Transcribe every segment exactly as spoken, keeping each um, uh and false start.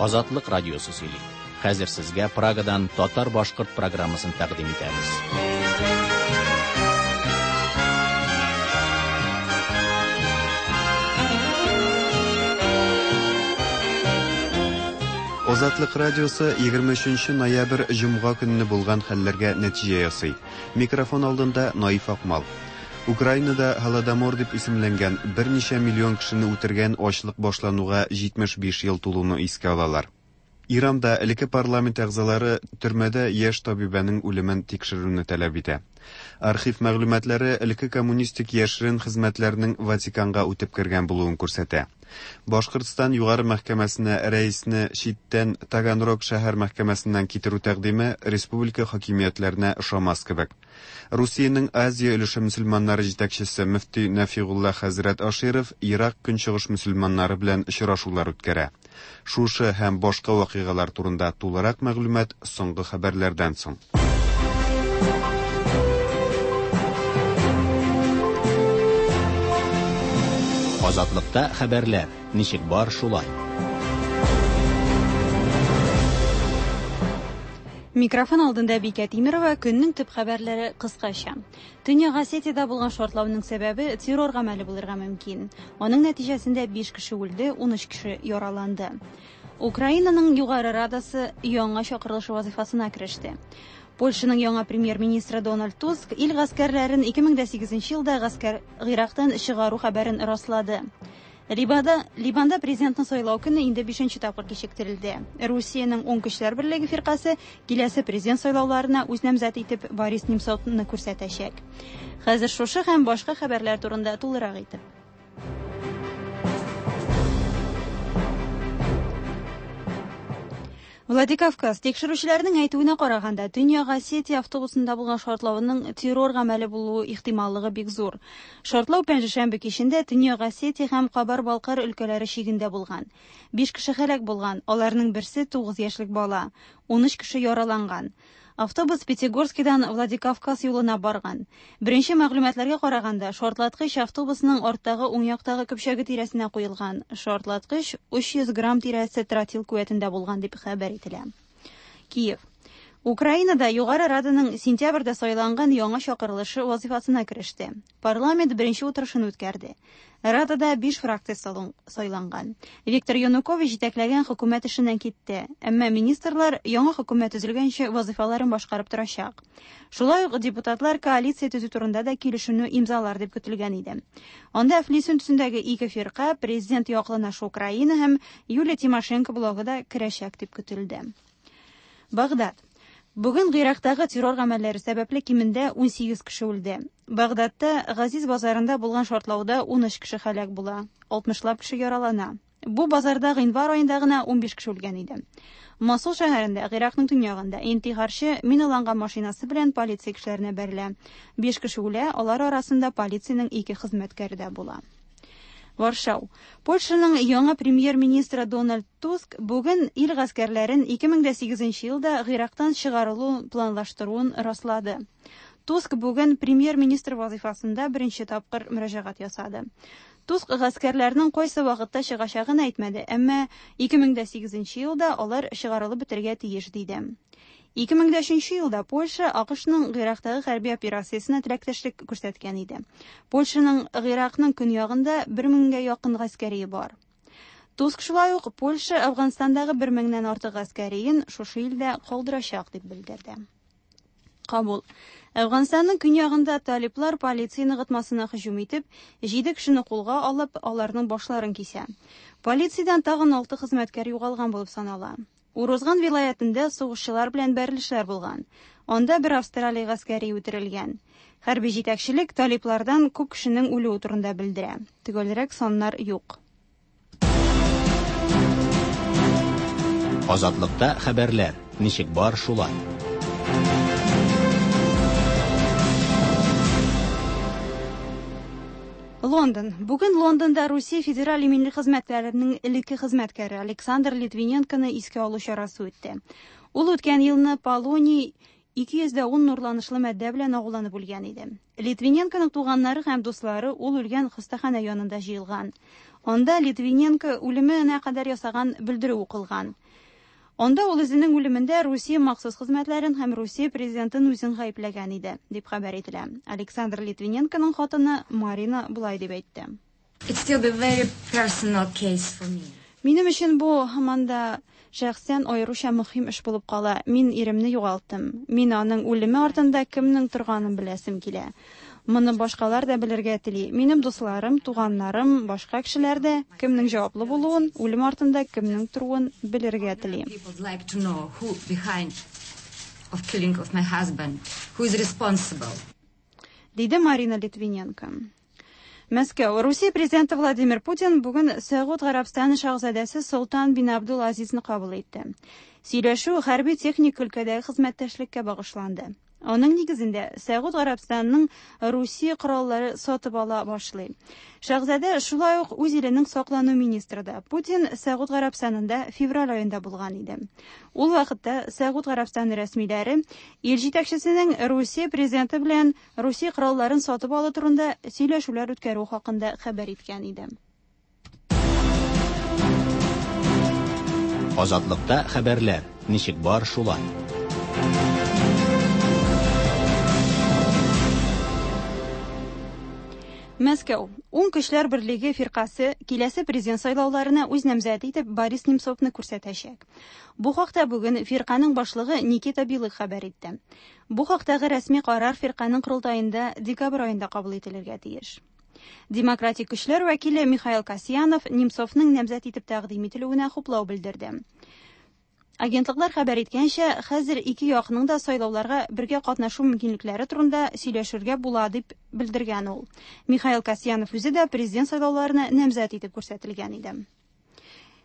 Азатлык радиосы сөйли. Хәзер сезгә Прагадан татар-башкорт программасын тәкъдим итәбез. Азатлык радиосы егерме өченче ноябрь җомга көнне булган хәлләргә нәтиҗә ясый. Микрофон алдында Наиф Акмал. Украинада Голодомор дип исемләнгән берничә миллион кешене үтергән ачлык башлануга җитмеш биш ел тулуны искә алалар. Иранда элекке парламент әгъзалары төрмәдә яшь табибәнең үлемен тикшерүне таләп итә. Архив мәгълүматлары элекке коммунистик яшерен хезмәтләрнең Ватиканга үтеп кергән булуын күрсәтә. Башкортстан югары мәхкәмәсенә рәисне читтән Таганрог шәһәр мәхкәмәсеннән китерү тәкъдиме республика хакимиятләренә ошамас кебек. Русиянең Азия өлеше мөселманнары җитәкчесе мөфти Нәфигулла хәзрәт Аширов Ирак көнчыгыш мөселманнары белән очрашулар үткәрә. Шушы һәм башка вакыйгалар турында тулырак мәгълүмат соңгы хәбәрләрдән соң. Азатлыкта хәбәрләр ничек бар шулай. Микрофон алдында Бикә Тимирова, көннең төп хәбәрләре кыскача. Төньяк Осетиядә булган шартлауның сәбәбе террор гамәле булырга мөмкин. Аның нәтиҗәсендә биш кеше үлде, ун өч кеше яраланды. Украинаның Югары Радасы яңа чакырылыш вазифасына кереште. Польшаның яңа премьер-министры Дональд Туск ил гаскәрләрен ике мең дә сигезенче елда гаскәр Ирактан чыгару хәбәрен раслады. Либанда, Либанда президентны сайлау көне инде бишенче тапкыр кичектерелде. Русиянең Уң көчләр берлеге фиркасе киләсе президент сайлауларына үз намзәте итеп Борис Немцовны күрсәтәчәк. Хәзер шушы һәм башка хәбәрләр турында тулырак итеп. Владикавказ тикшерүчеләрнең әйтүенә караганда, Төньяк Осетия автобусында булган шартлауның террор гамәле булуы ихтималлыгы бик зур. Шартлау пәнҗешәмбе кичендә Төньяк Осетия һәм Кабар-Балкар өлкәләре чигендә булган. Биш кеше һәлак булган, аларның берсе тугыз яшьлек бала, ун өч кеше яраланган. Автобус Пятигорскидан Владикавказ юлына барган. Беренче мәгълүматларга караганда, шартлаткыч автобусның арттагы уң яктагы көпчәге тирәсенә куелган. Шартлаткыч өч йөз грамм тирәсе тротил куәтендә булган дип хәбәр ителә. Киев. Украинада Югары Раданың сентябрьдә сайланган яңа чакырылышы вазифасына кереште. Парламент беренче утырышын үткәрде. Радада биш фракция сайланган. Виктор Янукович җитәкләгән хөкүмәт эшеннән китте, әмма министрлар яңа хөкүмәт төзелгәнче вазифаларын башкарып торачак. Шулай ук депутатлар коалиция төзү турында да килешүне имзалар дип көтелгән иде. Анда әфлисун төсендәге ике фирка, президент яклы Наша Украина һәм Юлия Тимошенко блогы да керәчәк дип көтелде. Багдад. Бүген Ирактагы террор гамәлләре сәбәпле кимендә ун сигез кеше үлде. Багдадта Газиз базарында булган шартлауда ун өч кеше һәлак була, алтмышлап кеше яралана. Бу базарда гыйнвар аенда гына ун биш кеше үлгән иде. Мосул шәһәрендә, Иракның төньягында, интихарчы миналанган машинасы белән полиция кешеләренә бәрелә. Биш кеше үлә, алар арасында полициянең ике хезмәткәре дә була. Варшау. Польшаның яңа премьер-министры Дональд Туск бүген ил гаскәрләрен ике мең дә сигезенче елда Ирактан чыгарылу планлаштыруын раслады. Туск бүген премьер-министр вазифасында беренче тапкыр мөрәҗәгать ясады. Туск гаскәрләрнең кайсы вакытта чыгачагын әйтмәде, әмма ике мең дә сигезенче елда алар чыгарылып бетергә тиеш диде. Ике мең дә өченче елда Польша АКШның Ирактагы хәрби операциясенә теләктәшлек күрсәткән иде. Польшаның Иракның көньягында бер меңгә якын гаскәрие бар. Туск шулай ук Польша Әфганстандагы бер меңнән артык гаскәриен шушы илдә калдырачак дип белдерде. Кабул. Әфганстанның көньягында талиплар полиция ныгытмасына һөҗүм итеп, җиде кешене кулга алып, аларның башларын кисә. Полициядән тагын алты хезмәткәр югалган булып санала. Урузган вилаятында сугышчылар белән бәрелешләр булган. Анда бер Австралия гаскәре үтерелгән. Хәрби җитәкчелек талиплардан күп кешенең үлүе турында белдерә. Төгәлрәк саннар юк. Азатлыкта хәбәрләр ничек бар шулай. Лондон. Бүген Лондонда Русия Федераль иминлек хезмәтләренең элекке хезмәткәре Александр Литвиненконы искә алу чарасы үтте. Ул үткән елны Полоний ике йөз дә ун нурланышлы матдә белән агуланып үлгән иде. Литвиненконың туганнары һәм дуслары ул үлгән хастаханә янында җыелган. Анда Литвиненко үлеменә кадәр ясаган белдерү укылган. Анда ул үзенең үлемендә Русия махсус хезмәтләрен һәм Русия президентын үзен гаепләгән иде, дип хәбәр ителә. Александр Литвиненконың хатыны Марина болай дип әйтте. It's still a very personal case for me. Минем өчен бу һаман да шәхсән аеруча мөһим эш булып кала. Мин иремне югалттым. Мин аның үлеме артында кемнең торганын беләсем килә. Моны башкалар да белергә тели. Минем дусларым, туганнарым, башка кешеләр дә кемнең җаваплы булуын, үлем артында кемнең торуын белергә тели. People like to know who behind of killing of my husband, who is responsible. Диде Марина Литвиненко. Мәскәү. Русия президенты Владимир Путин бүген Сәгуд Гарәбстаны шаһзадәсе Солтан бин Абдул Азизны кабул итте. Сөйләшү хәрби техник өлкәдәге хезмәттәшлеккә багышланды. Аның нигезендә Сәгуд Гарәбстанының Русия кораллары сатып ала башлый. Шаһзадә шулай ук үз иленең саклану министры да. Путин Сәгуд Гарәбстанында февраль аенда булган иде. Ул вакытта Сәгуд Гарәбстаны рәсмиләре ил җитәкчесенең Русия президенты белән Русия коралларын сатып алу турында сөйләшүләр үткәрү хакында хәбәр иткән иде. Азатлыкта хәбәрләр ничек бар шулай. Мәскәү. Уң көчләр берлеге фиркасы киләсе президент сайлауларына үз намзәте итеп Борис Немцовны күрсәтәчәк. Бу хакта бүген фирканың башлыгы Никита Белых хәбәр итте. Бу хактагы рәсми карар фирканың корылтаенда декабрь аенда кабул ителергә тиеш. Демократик көчләр вәкиле Михаил Касьянов Немцовның намзәт итеп тәкъдим ителүенә хуплау белдерде. Агентлыклар хәбәр иткәнчә, хәзер ике якның да сайлауларга бергә катнашу мөмкинлекләре турында сөйләшергә була дип белдергән ул. Михаил Касьянов үзе дә президент сайлауларына намзәт итеп күрсәтелгән иде.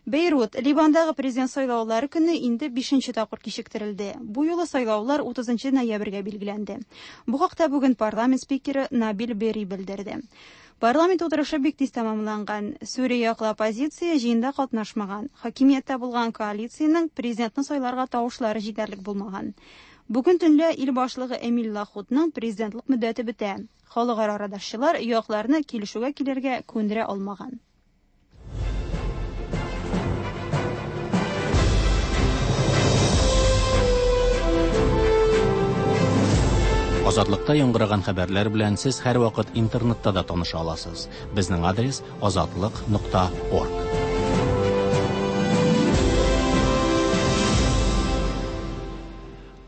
Бейрут, Ливандагы президент сайлаулары көне инде бишенче тапкыр кичектерелде. Бу юлы сайлаулар утызынчы ноябрьгә билгеләнде. Бу хакта бүген парламент спикеры Набил Берри белдерде. Парламент утырышы бик тиз тәмамланган. Сүрия яклы оппозиция җыенда катнашмаган. Хакимияттә булган коалициянең президентны сайларга тавышлары җитәрлек булмаган. Бүген төнлә ил башлыгы Эмиль Лахутның президентлык мөддәте бетә. Халыкара арадашчылар якларны килешүгә килергә күндерә алмаган. Азатлыкта яңгыраган хәбәрләр белән сез һәрвакыт интернетта да таныша аласыз. Безнең адрес азатлык нокта орг.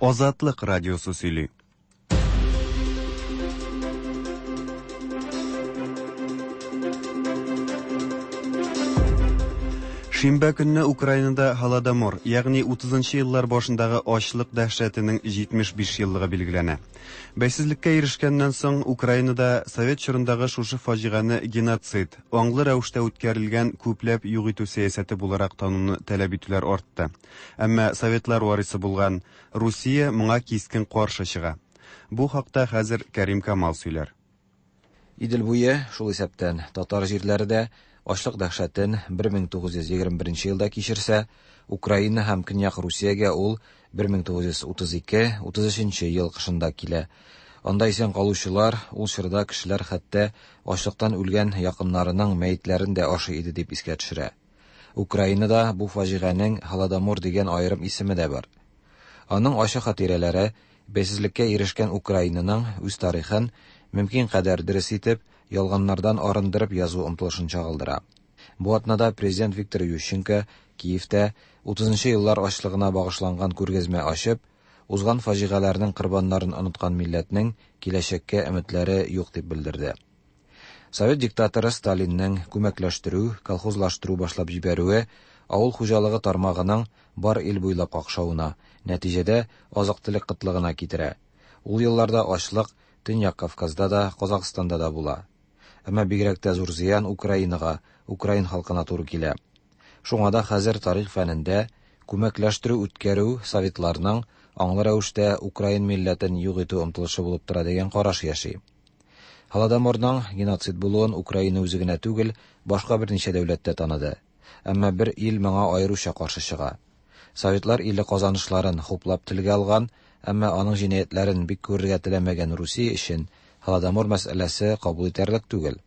Азатлык радиосы сөйли. Шимбә көнне Украинада Һолодомор, ягъни утызынчы еллар башындагы ачлык дәһшәтенең җитмеш биш еллыгы билгеләнә. Бәйсезлеккә ирешкәннән соң Украинада совет чорындагы шушы фаҗигане геноцид, аңлы рәвештә үткәрелгән күпләп юк итү сәясәте буларак тануны таләп итүләр артты. Әмма советлар варисы булган Русия моңа кискен каршы чыга. Бу хакта хәзер Кәрим Камал сөйләр. Идел буе, шул исәптән татар җирләре дә ачлык дәһшәтен бер мең тугыз йөз егерме беренче елда кичерсә, Украина һәм Көньяк Русиягә ул бер мең тугыз йөз утыз ике, утыз өченче ел кышында килә. Анда исән калучылар, ул чорда кешеләр хәтта ачлыктан үлгән якыннарының мәетләрен дә ашый иде дип искә төшерә. Украинада бу фаҗиганең Һолодомор дигән аерым исеме дә бар. Аның ачы хатирәләре бәйсезлеккә ирешкән Украинаның үз тарихын мөмкин кадәр дөрес итеп, ялганнардан арындырып язу омтылышын чагылдыра. Бу атнада президент Виктор Ющенко Киевтә утызынчы еллар ачлыгына багышланган күргәзмә ачып, узган фаҗигаләрнең корбаннарын оныткан милләтнең киләчәккә өметләре юк дип белдерде. Совет диктаторы Сталинның күмәкләштерү, колхозлаштыру башлап җибәрүе авыл хуҗалыгы тармагының бар ил буйлап какшавына, нәтиҗәдә азык-төлек кытлыгына китерә. Ул елларда ачлык Төньяк Кавказда да, Казахстанда да була. Әмма бигрәк тә зур зыян Украинага, украин халкына туры килә. Шуңа да хәзер тарих фәнендә күмәкләштерү үткәрү советларның аңлы рәвештә украин милләтен юк итү омтылышы булып тора дигән караш яши. Һолодоморның геноцид булуын Украина үзе генә түгел, башка берничә дәүләт тә таныды. Әмма бер ил моңа аеруча каршы чыга. Советлар иле казанышларын хуплап телгә алган, Әмма аның җинаятьләрен бик күрергә теләмәгән Русия өчен Һолодомор мәсьәләсе кабул итәрлек түгел.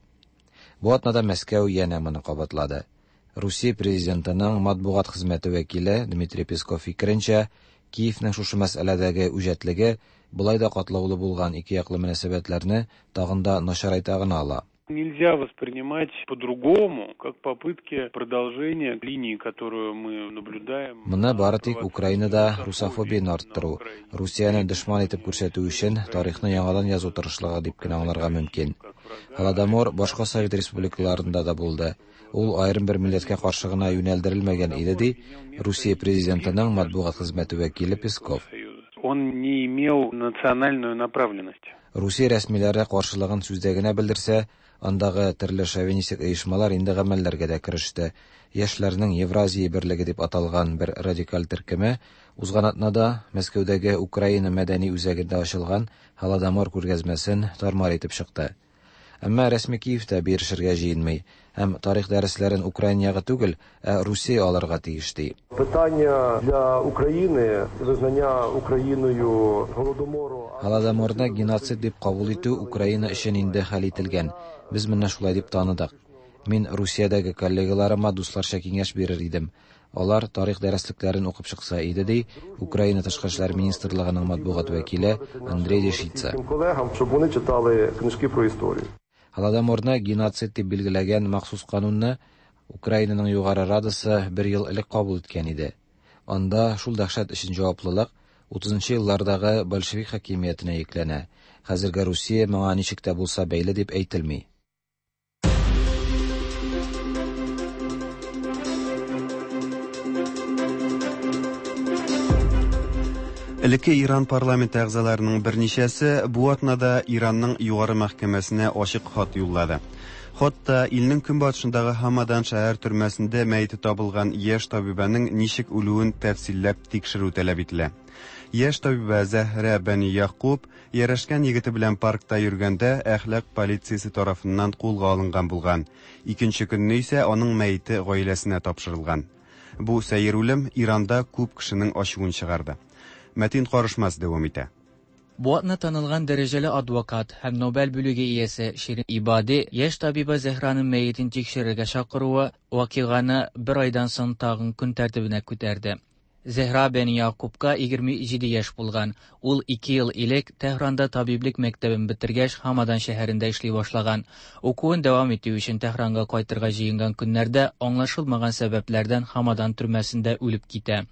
Бу атнада Мәскәү янә моны кабатлады. Русия президентының матбугат хезмәте вәкиле Дмитрий Песков фикеренчә, Киевның шушы мәсьәләдәге үҗәтлеге болай да катлаулы булган ике яклы мөнәсәбәтләрне тагын да начарайта гына ала. Нельзя воспринимать по-другому, как попытки продолжения линии, которую мы наблюдаем. Моны бары тик Украинада русофобияне арттыру, Русияне дошман итеп күрсәтү өчен тарихны яңадан язу тырышлыгы дип кенә аңларга мөмкин. Һолодомор башка совет республикаларында да булды. Ул аерым бер милләткә каршы гына юнәлдерелмәгән иде, ди Русия президентының матбугат хезмәте вәкиле Песков. Он не имел национальную направленность. Русия рәсмиләре каршылыгын сүздә генә белдерсә, андагы төрле шовинистик оешмалар инде гамәлләргә дә кереште. Яшьләрнең Евразия берлеге дип аталган бер радикаль төркеме узган атнада Мәскәүдәге Украина мәдәни үзәгендә ачылган Һолодомор күргәзмәсен тармар итеп чыкты. Әмма рәсми Киев тә бирешергә җыенмый һәм тарих дәресләрен Украина ягы түгел, ә Русия алырга тиеш ди. Питання для України визнання Україною Голодомору. Һолодоморны геноцид дип кабул итү Украина өчен инде хәл ителгән. Без моны шулай дип таныдык. Мин Русиядәге коллегаларыма дусларча киңәш бирер идем. Алар тарих дәреслекләрен укып чыкса иде, ди Украина тышкы эшләр министрлыгының матбугат вәкиле Андрей Дешица. Колегам, щоб вони читали книжки про історію. Һолодоморны геноцид дип билгеләгән махсус канунны Украинаның Югары Радасы бер ел элек кабул иткән иде. Анда шул дәһшәт өчен җаваплылык утызынчы еллардагы большевик хакимиятенә йөкләнә. Хәзерге Русия моңа ничек тә булса бәйле дип әйтелми. Элекке Иран парламенты әгъзаларының берничәсе бу атнада Иранның югары мәхкәмәсенә ачык хат юллады. Хатта илнең көнбатышындагы Һамадан шәһәр төрмәсендә мәете табылган яшь табибәнең ничек үлүен тәфсилләп тикшерү таләп ителә. Яшь табибә Зәһрә Бәни Якуб ярәшкән егете белән паркта йөргәндә әхлак полициясе тарафыннан кулга алынган булган. Икенче көнне исә аның мәете гаиләсенә тапшырылган. Бу сәер үлем Иранда күп кешенең ачуын чыгарды. Мәтин Карышмас дәвам итә. Бу атна танылган дәрәҗәле адвокат һәм Нобель бүлеге иясе Ширин Ибади яшь табиба Зәһраның мәетен тикшерергә чакыруы вакыйганы бер айдан соң тагын көн тәртибенә күтәрде. Зәһра Бәни Якубка егерме җиде яшь булган. Ул ике ел элек Тәһранда табиблек мәктәбен бетергәч Һамадан шәһәрендә эшли башлаган. Укуын дәвам итү өчен Тәһранга кайтырга җыенган көннәрдә аңлашылмаган сәбәпләрдән Һамадан төрмәсендә үлеп китә.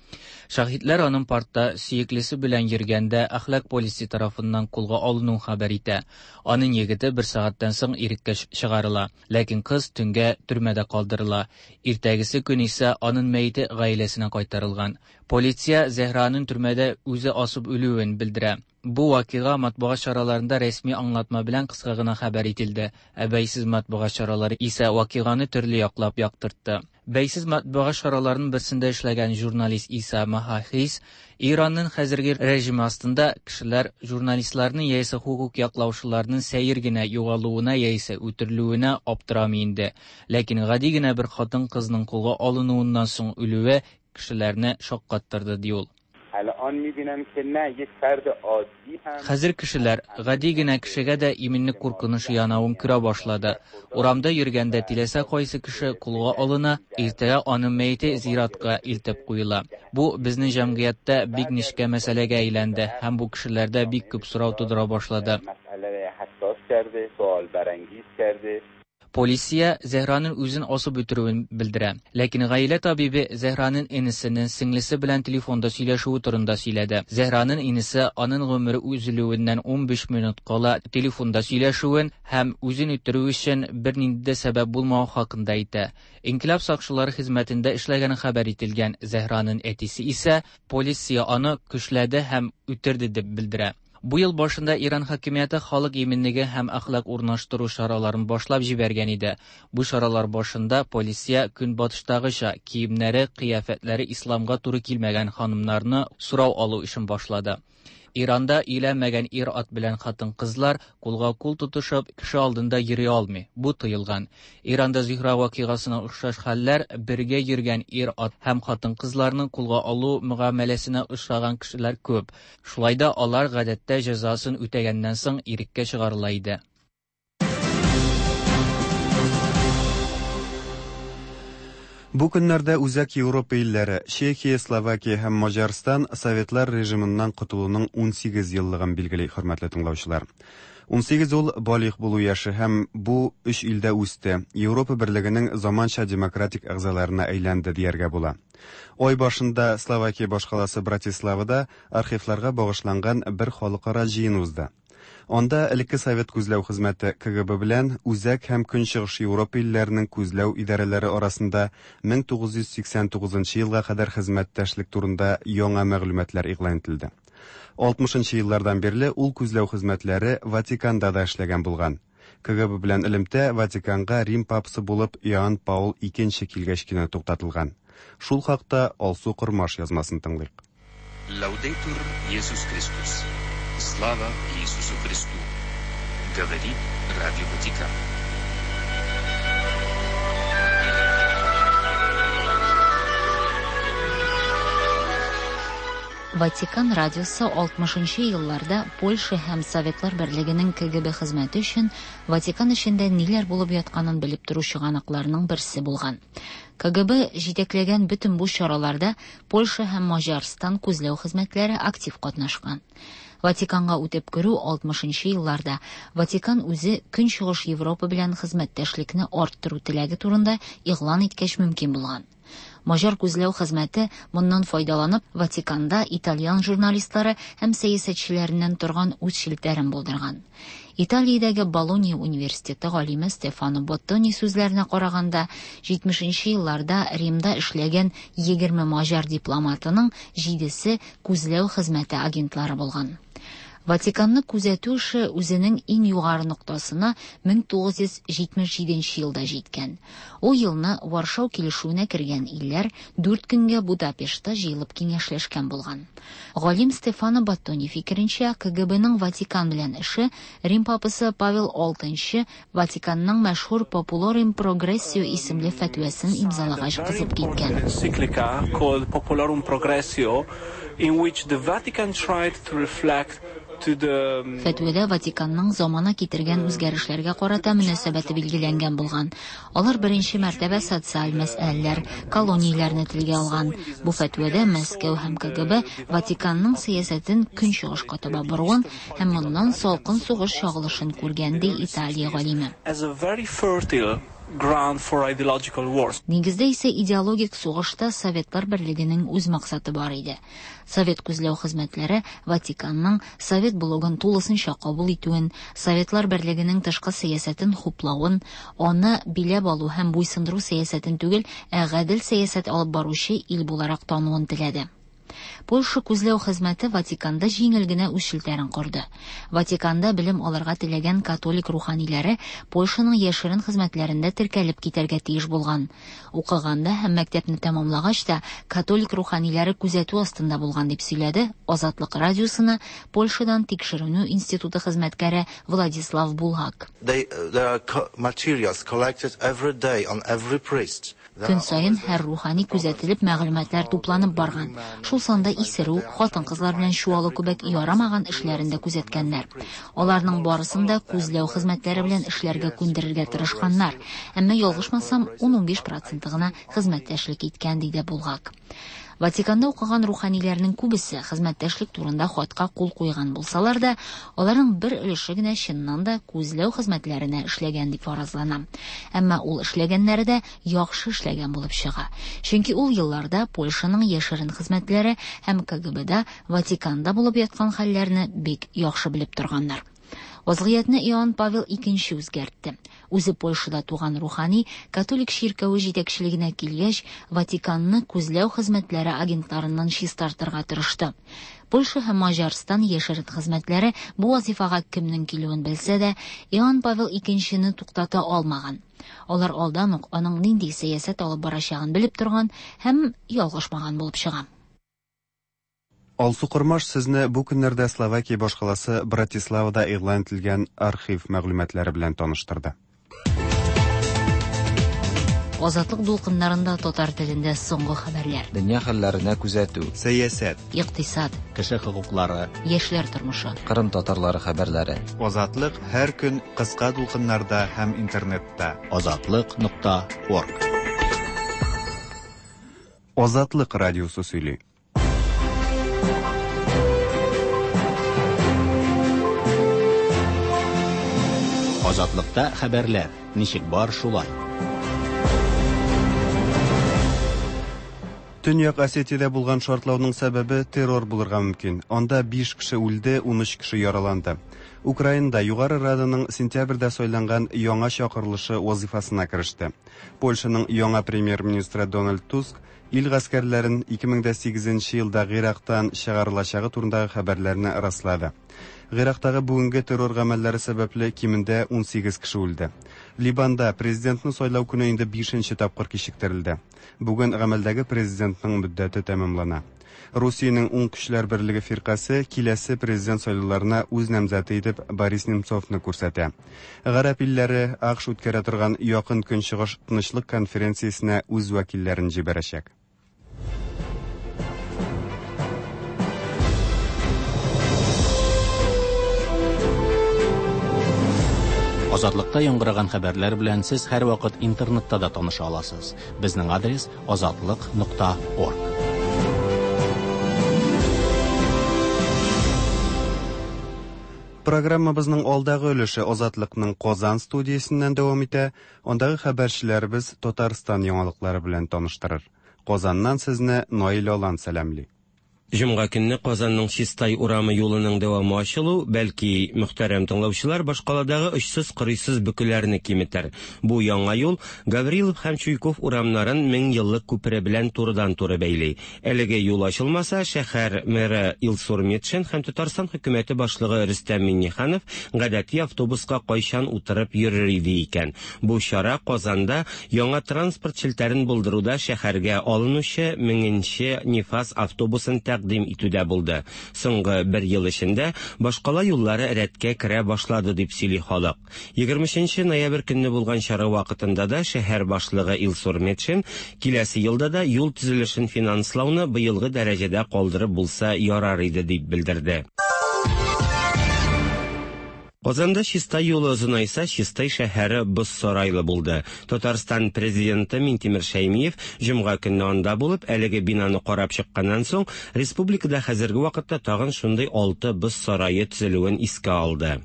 Шаһитләр аның паркта сөеклесе белән йөргәндә әхлак полисе тарафыннан кулга алынуын хәбәр итә. Аның егете бер сәгатьтән соң иреккә чыгарыла, ләкин кыз төнгә төрмәдә калдырыла. Иртәгесе көн исә аның мәете гаиләсенә кайтарылган. Полиция Зәһраның төрмәдә үзе асып үлүен белдерә. Бу вакыйга матбугат чараларында рәсми аңлатма белән кыска гына хәбәр ителде. Ә бәйсез матбугат чаралары исә вакыйганы төрле яклап яктыртты. Бәйсез матбугат чараларының берсендә эшләгән журналист Иса Махахис Иранның хәзерге режимы астында кешеләр журналистларның яисә хукук яклаучыларның сәер генә югалуына яисә үтерелүенә аптырамый инде. Ләкин гади генә бер хатын-кызның кулга алынуыннан соң үлүе кешеләрне шаккаттырды, ди ул. Хәзер кешеләр гади генә кешегә дә иминлек куркынычы янавын күрә башлады. Урамда йөргәндә теләсә кайсы кеше кулга алына, иртәгә аның мәете зиратка илтеп куела. Бу безнең җәмгыятьтә бик нечкә мәсьәләгә әйләнде һәм бу кешеләрдә бик күп сорау тудыра башлады. Полиция Зәһраның үзен асып үтерүен белдерә. Ләкин гаилә табибе Зәһраның энесенең сеңлесе белән телефонда сөйләшүе турында сөйләде. Зәһраның энесе аның гомере өзелүеннән унбиш минут кала телефонда сөйләшүен һәм үзен үтерү өчен бернинди дә сәбәп булмавы хакында әйтә. Инкилаб сакчылары хезмәтендә эшләгәне хәбәр ителгән Зәһраның әтисе исә полиция аны көчләде һәм үтерде дип белдерә. Бу ел башында Иран хакимияте халык иминлеге һәм әхлак урнаштыру чараларын башлап җибәргән иде. Бу чаралар башында полиция көнбатыштагыча киемнәре, кыяфәтләре исламга туры килмәгән ханымнарны сорау алу эшен башлады. Иранда өйләнмәгән ир-ат белән хатын-кызлар кулга кул тотышып кеше алдында йөри алмый. Бу тыелган. Иранда Зөһрә вакыйгасына охшаш хәлләр бергә йөргән ир-ат һәм хатын-кызларның кулга алу мөгамәләсенә очраган кешеләр күп. Шулай да алар гадәттә җәзасын үтәгәннән соң иреккә чыгарыла иде. Бу көннәрдә Үзәк Европа илләре Чехия, Словакия һәм Маҗарстан Советлар режимыннан котылуның унсигез еллыгын билгели, хөрмәтле тыңлаучылар. Унсигез ул балигъ булу яше һәм бу өч илдә үсте. Европа берлегенең заманча демократик әгъзаларына әйләнде дияргә була. Ай башында Словакия башкаласы Братиславада архивларга багышланган бер халыкара җыен узды. Анда элекке Совет күзләү хезмәте К Г Б белән Үзәк һәм Көнчыгыш Европа илләренең күзләү идарәләре арасында мең тугыз йөз сиксән тугызынчы елга кадәр хезмәттәшлек турында яңа мәгълүматлар игълан ителде. Алтмышынчы еллардан бирле ул күзләү хезмәтләре Ватиканда да эшләгән булган. К Г Б белән элемтә Ватиканга Рим папасы булып Иоанн Паул икенче килгәч кенә туктатылган. Шул хакта Алсу Кормаш язмасын тыңлыйк. Лаудетур Иисус Христос. Слава Иисусу Христу! Говорит Радио Ватикан. Ватикан радиосы алтмышынчы елларда Польша һәм Советлар Берлегенең К Г Б хезмәте өчен Ватикан эчендә ниләр булып ятканын белеп тору чыганакларының берсе булган. К Г Б җитәкләгән бөтен бу чараларда Польша һәм Маҗарстан күзләү хезмәтләре актив катнашкан. Ватиканга үтеп керү алтмышынчы елларда Ватикан үзе Көнчыгыш Европа белән хезмәттәшлекне арттыру теләге турында игълан иткәч мөмкин булган. Маҗар күзләү хезмәте моннан файдаланып Ватиканда итальян журналистлары һәм сәясәтчеләреннән торган үз челтәрен булдырган. Италиядәге Болонья университеты галиме Стефано Боттони сүзләренә караганда, җитмешенче елларда Римда эшләгән егерме маҗар дипломатының җидесе күзләү хезмәте агентлары булган. Ватиканны күзәтү эше үзенең иң югары ноктасына мең тугыз йөз җитмеш җиденче елда җиткән. Ул елны Варшау килешүенә кергән илләр дүрт көнгә Будапештта җыелып киңәшләшкән булган. Галим Стефано Боттони фикеренчә, К Г Б-ның Ватикан белән эше Рим папасы Павел алтынчы Ватиканның мәшһүр Populorum Progressio исемле фәтвәсен имзалагач кызып киткән. Encyclica called Populorum Progressio, in which the Vatican tried to reflect to the Фәтвәдә Ватиканның замана китергән үзгәрешләргә карата мөнәсәбәте билгеләнгән булган. Алар беренче мәртәбә социаль мәсьәләләр, колонияләрне телгә алган. Бу фәтвәдә Мәскәү һәм К Г Б Ватиканның сәясәтен көнчыгышка таба боруын һәм моннан салкын сугыш чагылышын күргән, ди Италия галиме. As a very fertile ground for ideological wars. Нигездә исә идеологик сугышта Советлар Берлегенең үз максаты бар иде. Совет күзләү хезмәтләре Ватиканның Совет блогын тулысынча кабул итүен, Советлар Берлегенең тышкы сәясәтен хуплавын, аны биләп алу һәм буйсындыру сәясәтен түгел, ә гадел сәясәт алып баручы ил буларак тануын теләде. Польша күзләү хезмәте Ватиканда җиңел генә үз челтәрен корды. Ватиканда белем алырга теләгән католик руханиләре Польшаның яшерен хезмәтләрендә теркәлеп китәргә тиеш булган. Укыганда һәм мәктәпне тәмамлагач та католик руханиләре күзәтү астында булган дип сөйләде Азатлык радиосына Польшадан тикшеренү институты хезмәткәре Владислав Булгак. They, there are co-, materials collected every day on every priest. Көн саен һәр рухани күзәтелеп мәгълүматлар тупланып барган. Шул санда исерү, хатын-кызлар белән чуалу кебек ярамаган эшләрен дә күзәткәннәр. Аларның барысын да күзләү хезмәтләре белән эшләргә күндерергә тырышканнар. Әмма ялгышмасам, ун-унбиш проценты гына хезмәттәшлек иткән, диде Булгак. Ватиканда укыган руханиләрнең күбесе хезмәттәшлек турында хатка кул куйган булсалар да, аларның бер өлеше генә чыннан да күзләү хезмәтләренә эшләгән дип фаразлана. Әмма ул эшләгәннәре дә яхшы эшләгән булып чыга. Чөнки ул елларда Польшаның яшерен хезмәтләре һәм К Г Б-да Ватиканда булып яткан хәлләрне бик яхшы белеп торганнар. Вазгыятьне Иоанн Павел икенче үзгәртте. Үзе Польшада туган рухани католик чиркәве җитәкчелегенә килгәч, Ватиканны күзләү хезмәтләре агентларыннан чистартырга тырышты. Польша һәм Маҗарстан яшерен хезмәтләре бу вазифага кемнең килүен белсә дә, Иоанн Павел икенчене туктата алмаган. Алар алдан ук аның нинди сәясәт алып барачагын белеп торган һәм ялгышмаган булып чыга. Алсу Кормаш сезне бу көннәрдә Словакия башкаласы Братиславада игълан ителгән архив мәгълүматлары белән таныштырды. Азатлык дулкыннарында татар телендә соңгы хәбәрләр. Дөнья хәлләренә күзәтү. Сәясәт. Икътисад. Кеше хокуклары. Яшьләр тормышы. Кырым татарлары хәбәрләре. Азатлык һәр көн кыска дулкыннарда һәм интернетта. Азатлык нокта орг. Азатлык радиосы сөйли. Азатлыкта хәбәрләр ничек бар шулай. Төньяк Осетиядә булган шартлауның сәбәбе террор булырга мөмкин. Анда биш кеше үлде, ун өч кеше яраланды. Украинада Югары Раданың сентябрьдә сайланган яңа чакырылышы вазифасына кереште. Польшаның яңа премьер-министры Дональд Туск ил гаскәрләрен ике мең дә сигезенче елда Гыйрактан чыгарылачагы турындагы хәбәрләрне раслады. Гыйрактагы бүгенге террор гамәлләре сәбәпле кимендә ун сигез кеше үлде. Либанда президентны сайлау көне инде бишенче тапкыр кичектерелде. Бүген гамәлдәге президентның мөддәте тәмамлана. Русиянең Уң көчләр берлеге фиркасе киләсе президент сайлауларына үз намзәте итеп Борис Немцовны күрсәтә. Гарәп илләре АКШ үткәрә торган Якын Көнчыгыш тынычлык конференциясенә үз вәкилләрен җибәрәчәк. Азатлыкта яңгыраган хәбәрләр белән сез һәрвакыт интернетта да таныша аласыз. Безнең адрес азатлык нокта орг. Программабызның алдагы өлеше Азатлыкның Казан студиясеннән дәвам итә. Андагы хәбәрчеләребез Татарстан яңалыклары белән таныштырыр. Казаннан сезне Наил Алан сәламли. Җомга көнне Казанның Чистай урамы юлының дәвамы ачылу, бәлки мөхтәрәм тыңлаучылар башкаладагы очсыз-кырыйсыз бөкеләрне киметер. Бу яңа юл Гаврилов һәм Чуйков урамнарын мең еллык күпере белән турыдан-туры бәйли. Әлеге юл ачылмаса, шәһәр мэры Илсур Метшин һәм Татарстан хөкүмәте башлыгы Рөстәм Миңнеханов гадәти автобуска кайчан утырып йөрер иде икән. Бу чара Казанда яңа транспорт челтәрен булдыруда шәһәргә алынучы меңенче Нефаз автобусын тәкъдим итүдә булды. Соңгы бер ел эчендә башкала юллары рәткә керә башлады дип сөйли халык. егерме өченче ноябрь көнне булган чара вакытында да шәһәр башлыгы Илсур Метшин киләсе елда да юл төзелешен финанслауны быелгы дәрәҗәдә калдырып булса ярар иде дип белдерде. Казанда Чистай юлы озынайса, Чистай шәһәре боз сарайлы булды. Татарстан президенты Минтимер Шәймиев җомга көнне анда булып, әлеге бинаны карап чыкканнан соң, республикада хәзерге вакытта тагын шундый алты боз сарае төзелүен искә алды.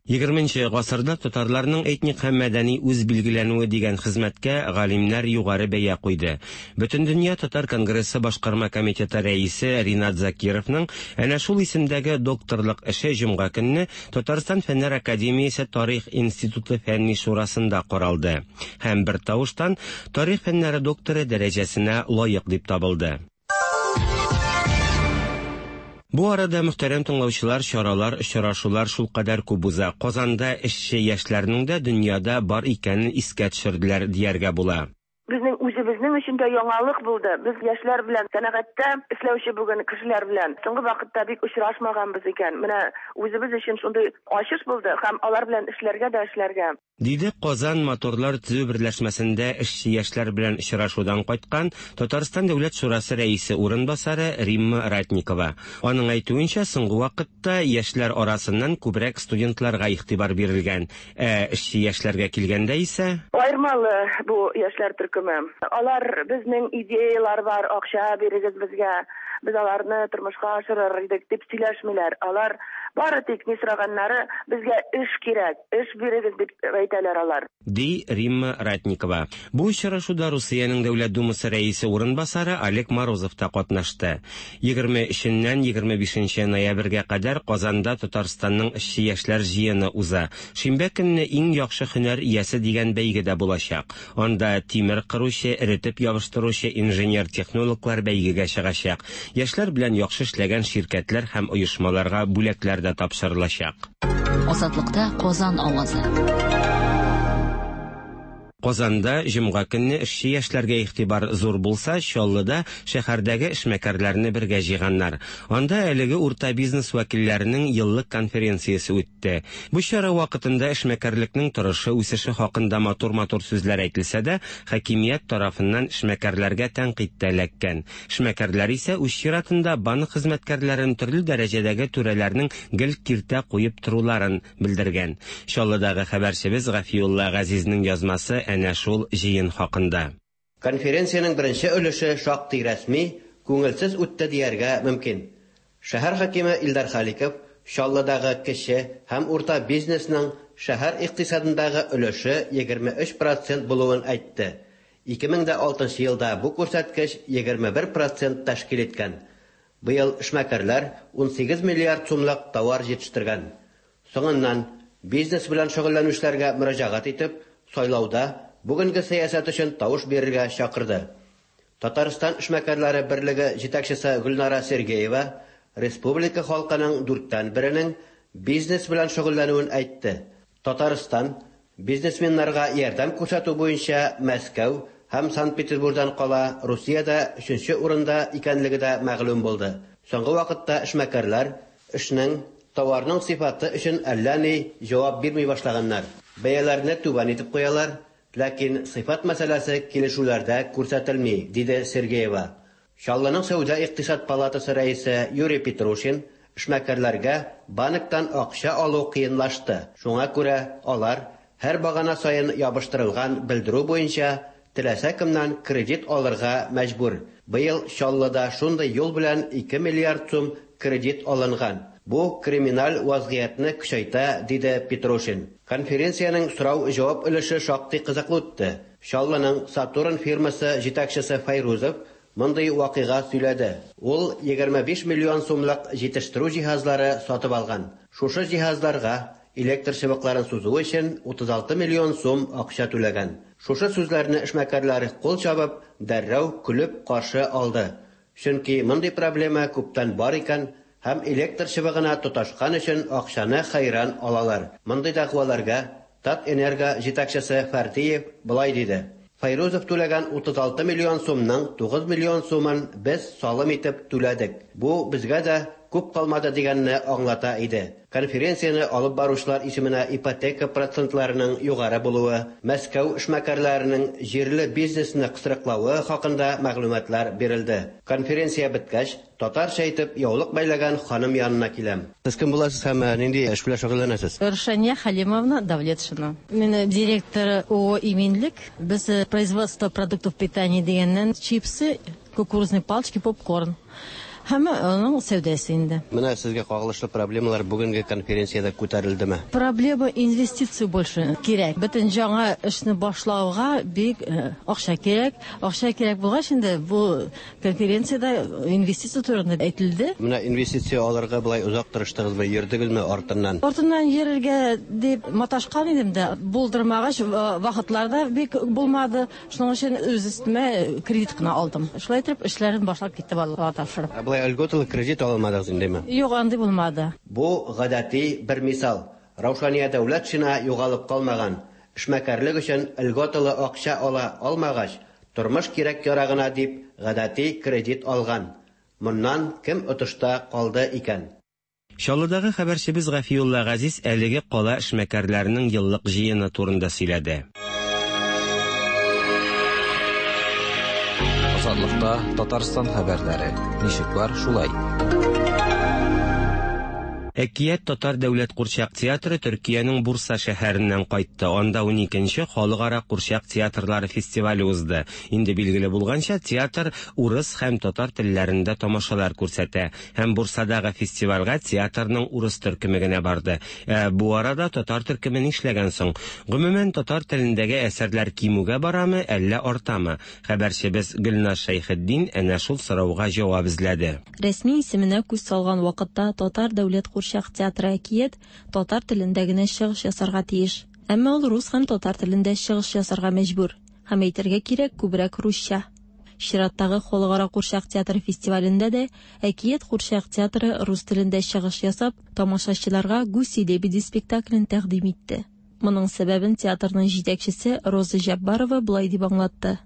Егерменче гасырда татарларның этник һәм мәдәни үз билгеләнүе дигән хезмәткә галимнәр югары бәя куйды. Бөтендөнья татар конгрессы башкарма комитеты рәисе Ринат Закировның әнә шул исемдәге докторлык эше җомга көнне Татарстан Фәннәр академиясе Тарих институты фәнни шурасында каралды һәм бер тавыштан тарих фәннәре докторы дәрәҗәсенә лаек дип табылды. Бу арада мөхтәрәм тыңлаучылар, чаралар, очрашулар шулкадәр күп уза. Казанда эшче яшьләрнең дә дөньяда бар икәнен искә төшерделәр дияргә була. Безнең үзебезнең өчен дә яңалык булды. Без яшьләр белән сәнәгатьтә эшләүче бүген кешеләр белән соңгы вакытта бик очрашмаганбыз икән. Менә үзебез өчен шундый ачыш булды һәм алар белән эшләргә дә эшләргә. Диде Казан моторлар төзү берләшмәсендә эшче яшьләр белән очрашудан кайткан Татарстан Дәүләт Шурасы рәисе урынбасары Римма Ратникова. Аның әйтүенчә, соңгы вакытта яшьләр арасыннан күбрәк студентларга игътибар бирелгән. Ә эшче яшьләргә килгәндә исә аермалы бу яшьләр төркеме. Алар безнең идеялар бар, акча бирегез безгә, без аларны тормышка ашырыр идек дип сөйләшмиләр. Алар бары тик ни сораганнары, безгә эш кирәк, эш бирегез дип әйтәләр алар. Ди Римма Ратникова. Бу очрашуда Русиянең Дәүләт Думасы рәисе урынбасары Олег Морозов та катнашты. егерме өченнән егерме бишенче ноябрьгә кадәр Казанда Татарстанның эшче яшьләр җыены уза. Шимбә көнне иң яхшы һөнәр иясе дигән бәйге дә булачак. Анда тимер кыручы, эретеп ябыштыручы инженер-технологлар бәйгегә чыгачак. Яшьләр белән яхшы эшләгән ширкәтләр һәм оешмаларга бүләкләр дә тапшырылачак. Азатлыкта Казан авазы. Казанда җомга көнне эшче яшьләргә игътибар зур булса, Чаллыда шәһәрдәге эшмәкәрләрне бергә җыйганнар. Анда әлеге урта бизнес вәкилләренең еллык конференциясе үтте. Бу чара вакытында эшмәкәрлекнең торышы, үсеше хакында матур-матур сүзләр әйтелсә дә, хакимият тарафыннан эшмәкәрләргә тәнкыйть тә эләккән. Эшмәкәрләр исә үз чиратында банк хезмәткәрләрен төрле дәрәҗәдәге түрәләрнең гел киртә куеп торуларын белдергән. Чаллыдагы хәбәрчебез Гафиулла Газизнең язмасы әнә шул җыен хакында. Конференциянең беренче өлеше шактый рәсми, күңелсез үтте дияргә мөмкин. Шәһәр хакиме Илдар Халиков Чаллыдагы кече һәм урта бизнесның шәһәр икътисадындагы өлеше егерме өч процент булуын әйтте. ике мең дә алтынчы елда бу күрсәткеч егерме бер процент тәшкил иткән. Быел эшмәкәрләр ун сигез миллиард сумлык товар җитештергән. Соңыннан бизнес белән шөгыльләнүчеләргә мөрәҗәгать итеп, сайлауда бүгенге сәясәт өчен тавыш бирергә чакырды. Татарстан эшмәкәрләре берлеге җитәкчесе Гөлнара Сергеева республика халкының дүрттән беренең бизнес белән шөгыльләнүен әйтте. Татарстан бизнесменнарга ярдәм күрсәтү буенча Мәскәү һәм Санкт-Петербургдан кала Русиядә өченче урында икәнлеге дә мәгълүм булды. Соңгы вакытта эшмәкәрләр эшнең, товарның сыйфаты өчен әллә ни җавап бирми башлаганнар. Бәяләрне түбән итеп куялар, ләкин сыйфат мәсьәләсе килешүләрдә күрсәтелми, диде Сергеева. Чаллының Сәүдә икътисад палатасы рәисе Юрий Петрушин эшмәкәрләргә банктан акча алу кыенлашты. Шуңа күрә алар һәр багана саен ябыштырылган белдерү буенча теләсә кемнән кредит алырга мәҗбүр. Быел Чаллыда шундый юл белән ике миллиард сум кредит алынган. Бу криминаль вазгыятьне көчәйтә, диде Петрушин. Конференциянең сорау-җавап өлеше шактый кызыклы үтте. Чаллының Сатурн фирмасы җитәкчесе Файрузов мондый вакыйга сөйләде. Ул егерме биш миллион сумлык җитештерү җиһазлары сатып алган. Шушы җиһазларга электр чыбыкларын сузу өчен утыз алты миллион сум акча түләгән. Шушы сүзләрне эшмәкәрләр кул чабып, дәррәү көлеп каршы алды. Чөнки мондый проблема күптән бар икән һәм электр чыбыгына тоташкан өчен акчаны хәйран алалар. Мондый дәгъваларга Татэнерго җитәкчесе Фәрдиев былай диде: Файрузов түләгән утыз алты миллион сумның тугыз миллион сумын без салым итеп түләдек. Бу безгә дә күп калмады дигәнне аңлата иде. Конференцияне алып баручылар исеменә ипотека процентларының югары булуы, Мәскәү эшмәкәрләренең җирле бизнесны кысрыклавы хакында мәгълүматлар бирелде. Конференция беткәч, татарча итеп яулык бәйләгән ханым янына киләм. Сез кем буласыз һәм нинди эш белән шөгыльләнәсез? Рушания Халимовна Давлетшина. Мин директор ООО «Иминлек». Без производство продуктов питания дигәннән чипсы, кукурузные палочки, попкорн. Һәм аның сәүдәсе инде. Менә сезгә кагылышлы проблемалар бүгенге конференциядә күтәрелдеме? Проблема инвестиция больше кирәк. Бөтен яңа эшне башлауга бик акча кирәк. Акча кирәк булгач инде бу конференциядә инвестиция турында әйтелде. Менә инвестиция алырга болай озак тырыштыгызмы, йөрдегезме артыннан? Артыннан йөрергә дип маташкан идем дә, булдырмагач вакытларда бик булмады. Шуның өчен үз өстемә кредит кына алдым. Шулай итеп эшләрен башлап китте балалар тапшырып. Льготалы кредит алмадыгыз индеме? Юк, андый булмады. Бу гадәти бер мисал. Раушания Дәүләтшина югалып калмаган. Эшмәкәрлек өчен льготалы акча ала алмагач, тормыш кирәк ярагына дип гадәти кредит алган. Моннан кем отышта калды икән? Чаллыдагы хәбәрчебез Гафиулла Газиз әлеге кала эшмәкәрләренең еллык җыены турында сөйләде. Азатлыкта Татарстан хәбәрләре. Ничек бар, шулай. Әкият татар дәүләт курчак театры Төркиянең Бурса шәһәреннән кайтты. Анда ун икенче халыкара курчак театрлары фестивале узды. Инде билгеле булганча, театр урыс һәм татар телләрендә тамашалар күрсәтә. Һәм Бурсадагы фестивальгә театрның урыс төркеме генә барды. Ә бу арада татар төркеме нишләгән соң? Гомумән, татар телендәге әсәрләр кимүгә барамы, әллә артамы? Хәбәрчебез Гөлназ Шәйхетдин әнә шул сорауга җавап эзләде. Рәсми исеменә күз салган вакытта татар дәүләт курчак театры Әкият татар телендә генә чыгыш ясарга тиеш. Әмма ул рус һәм татар телендә чыгыш ясарга мәҗбүр. Һәм әйтергә кирәк, күбрәк русча. Чираттагы халыкара курчак театры фестивалендә дә Әкият курчак театры рус телендә чыгыш ясап, тамашачыларга «Гуси-лебеди» спектаклен тәкъдим итте. Моның сәбәбен театрның җитәкчесе Роза Җаббарова болай дип аңлатты.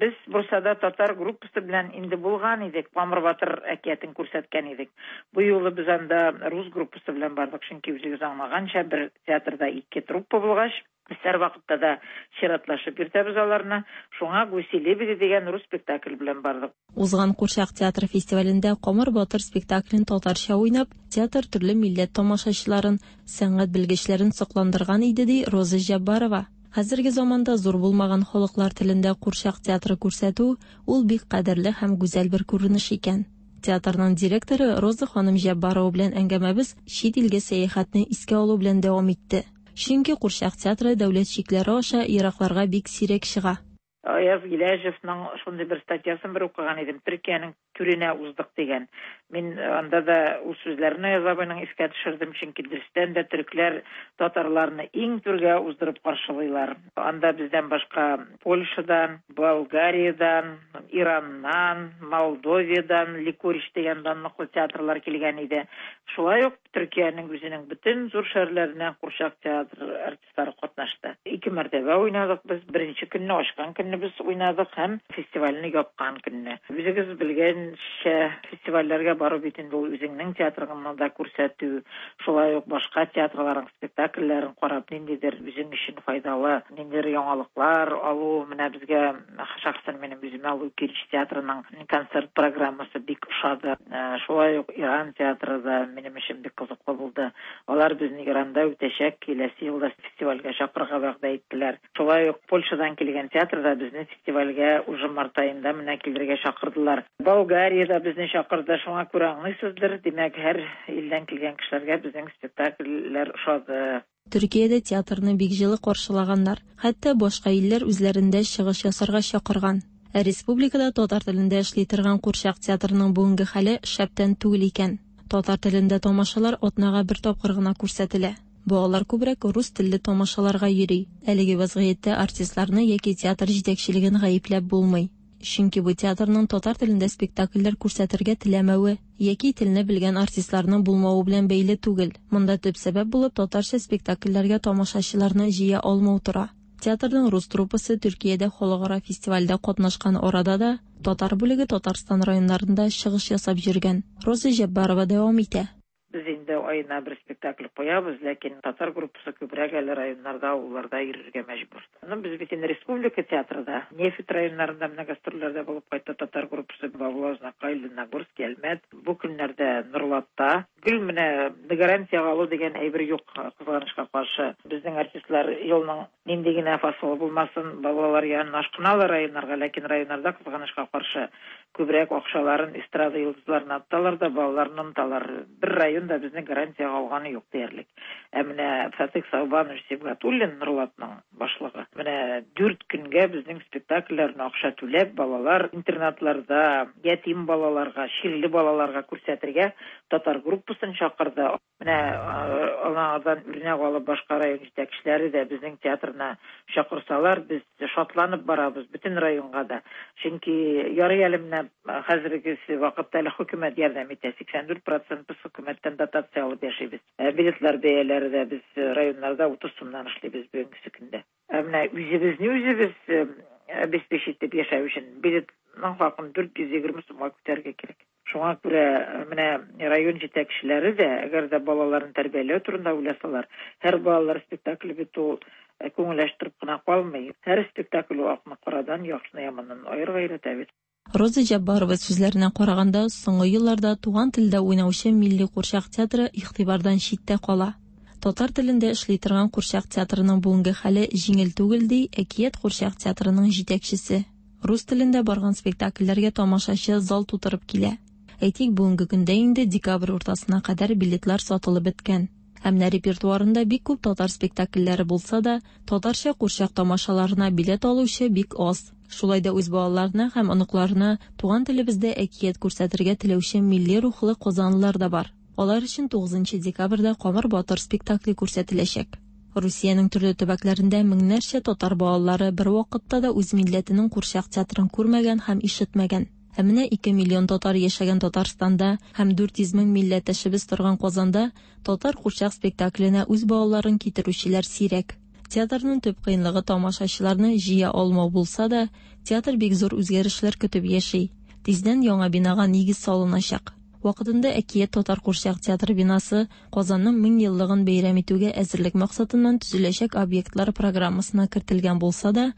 Без Бурсада татар группасы белән инде булган идек, Камыр батыр әкиятен күрсәткән идек. Бу юлы без анда рус группасы белән бардык, чөнки үзегез аңлаганча бер театрда ике труппа булгач, без һәрвакытта да чиратлашып йөртәбез аларны. Шуңа Гуси лебеди дигән рус спектакль белән бардык. Узган Курчак театры фестивалендә Камыр батыр спектаклен татарча уйнап, театр төрле милләт тамашачыларын, сәнгать белгечләрен сокландырган иде, ди Роза Җаббарова. Хәзерге заманда зур булмаган халыклар телендә курчак театры күрсәтү ул бик кадерле һәм гүзәл бер күренеш икән. Театрның директоры Роза ханым Җаббарова белән әңгәмәбез чит илгә сәяхәтне искә алу белән дәвам итте. Чөнки курчак театры дәүләт чикләре аша еракларга бик сирәк чыга. Аяз Гиләҗевның шундый бер статьясын бер укыган идем. Төркиянең түренә уздык дигән. Мин анда да ул сүзләрне Аяз абыйның искә төшердем, чөнки дөрестән дә төрекләр татарларны иң түргә уздырып каршылыйлар. Анда бездән башка Польшадан, Болгариядан, Ираннан, Молдовиядан Ликорич дигән данлыклы театрлар килгән иде. Шулай ук Төркиянең үзенең бөтен зур шәһәрләреннән курчак театр артистлары катнашты. Ике мәртәбә уйнадык без. Беренче көнне ачкан көнне без уйнадык һәм фестивальне япкан көнне. Үзегез белгәнчә, фестивальләргә бару бит инде ул үзеңнең театрыңны да күрсәтү, шулай ук башка театрларның спектакльләрен карап, ниндидер үзең өчен файдалы, ниндидер яңалыклар алу. Менә безгә шәхсән минем үземә Лукич театрының концерт программасы бик ошады. Шулай ук Иран театры да минем өчен бик кызыклы булды. Алар безне Иранда үтәчәк киләсе елда фестивальгә чакырырга вәгъдә иттеләр. Шулай ук Польшадан килгән театр да безне фестивальгә уже март аенда менә килергә чакырдылар. Болгария да безне чакырды. Шуңа күрә аңлыйсыздыр, димәк, һәр илдән килгән кешеләргә безнең спектакльләр ошады. Төркиядә театрны бик җылы каршылаганнар. Хәтта башка илләр үзләрендә чыгыш ясарга чакырган. Ә республикада татар телендә эшли торган курчак театрының бүгенге хәле шәптән түгел икән. Татар телендә тамашалар атнага бер тапкыр гына күрсәтелә. Балалар күбрәк рус телле тамашаларга йөри. Әлеге вазгыятьтә артистларны яки театр җитәкчелеген гаепләп булмый. Чөнки бу театрның татар телендә спектакльләр күрсәтергә теләмәве яки телне белгән артистларның булмавы белән бәйле түгел. Монда төп сәбәп булып татарча спектакльләргә тамашачыларны җыя алмау тора. Театрның рус труппасы Төркиядә халыкара фестивальдә катнашкан арада да татар бүлеге Татарстан районнарында чыгыш ясап йөргән. Роза Җаббарова дәвам итә. Без инде аена бер спектакль куябыз, ләкин татар группасы күбрәк әле районнарда, авылларда йөрергә мәҗбүр. Ну, без бит инде республика театрында, нефть районнарында менә гастрольләрдә булып кайтты татар группасы Бавлы, Азнакай, Лениногорск, Әлмәт. Бу көннәрдә Нурлатта. Гел менә гарантиягә алу дигән әйбер юк, кызганычка каршы. Безнең артистлар елның нинди генә фасылы булмасын, балалар янына ашкыналар районнарга, ләкин районнарда кызганычка каршы күбрәк акчаларын эстрада йолдызларына аталар да балаларны оныталар. Бер район да безнең гарантиягә алганы юк диярлек. Ә менә Фатих Саубанович Сибгатуллин, Нурлатның башлыгы, менә дүрт көнгә безнең спектакльләрне акча түләп балалар интернатларда, ятим балаларга, чирле балаларга күрсәтергә татар группасын чакырды. Менә алардан үрнәк алып башка район җитәкчеләре дә безнең театрына чакырсалар, без шатланып барабыз бөтен районга да. Чөнки ярый әле менә хәзерге вакытта әле хөкүмәт ярдәм итә. сиксән дүрт процент без хөкүмәттән дотация алып яшибез. Билетлар бәяләре дә без районнарда утыз сумнан эшлибез бүгенге көндә. Ә менә үзебезне үзебез обеспечить итеп яшәү өчен билетның хакын дүрт йөз егерме сумга күтәрергә кирәк. Шуңа күрә менә район җитәкчеләре дә, әгәр дә балаларын тәрбияләү турында уйласалар, һәр балалар спектакле бит ул күңел ачтырып кына калмый. Һәр спектакль ул акны карадан, яхшыны яманнан аерырга өйрәтә бит. Роза Җаббарова сүзләренә караганда, соңгы елларда туган телдә уйнаучы милли курчак театры игътибардан читтә кала. Татар телендә эшли торган курчак театрының бүгенге хәле җиңел түгел, ди Әкият курчак театрының җитәкчесе. Рус телендә барган спектакльләргә тамашачы зал тутырып килә. Әйтик, бүгенге көндә инде декабрь уртасына кадәр билетлар сатылып беткән. Ә менә репертуарында бик күп татар спектакльләре булса да, татарча курчак тамашаларына билет алучы бик аз. Шулай да үз балаларына һәм оныкларына туган телебездә әкият күрсәтергә теләүче милли рухлы казанлылар да бар. Алар өчен тугызынчы декабрьдә Камыр батыр спектакле күрсәтеләчәк. Русиянең төрле төбәкләрендә меңнәрчә татар балалары бер вакытта да үз милләтенең курчак театрын күрмәгән һәм ишетмәгән. Ә менә ике миллион татар яшәгән Татарстанда һәм дүрт йөз мең милләттәшебез торган Казанда татар курчак спектакленә үз балаларын китерүчеләр сирәк. Театрның төп кыенлыгы тамашачыларны җыя алмау булса да, театр бик зур үзгәрешләр көтеп яши. Тиздән яңа бинага нигез салыначак. Вакытында Әкият татар курчак театры бинасы Казанның мең еллыгын бәйрәм итүгә әзерлек максатыннан төзеләчәк объектлар программасына кертелгән булса да,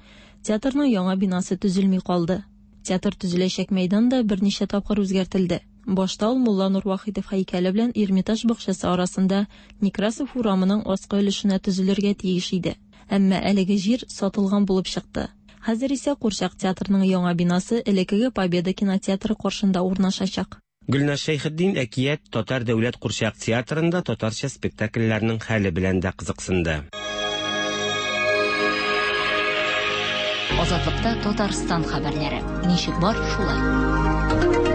театрның яңа бинасы төзелми калды. Театр төзеләчәк мәйдан да берничә тапкыр үзгәртелде. Башта ул Мулланур Вахитов һәйкәле белән Эрмитаж бакчасы арасында Некрасов урамының аскы өлешенә төзелергә тиеш иде. Әмма әлеге җир сатылган булып чыкты. Хәзер исә курчак театрының яңа бинасы элеккеге Победа кинотеатры каршында урнашачак. Гөлназ Шәйхетдин Әкият татар дәүләт курчак театрында татарча спектакльләрнең хәле белән дә кызыксынды. Азатлыкта Татарстан хәбәрләре. Ничек бар, шулай.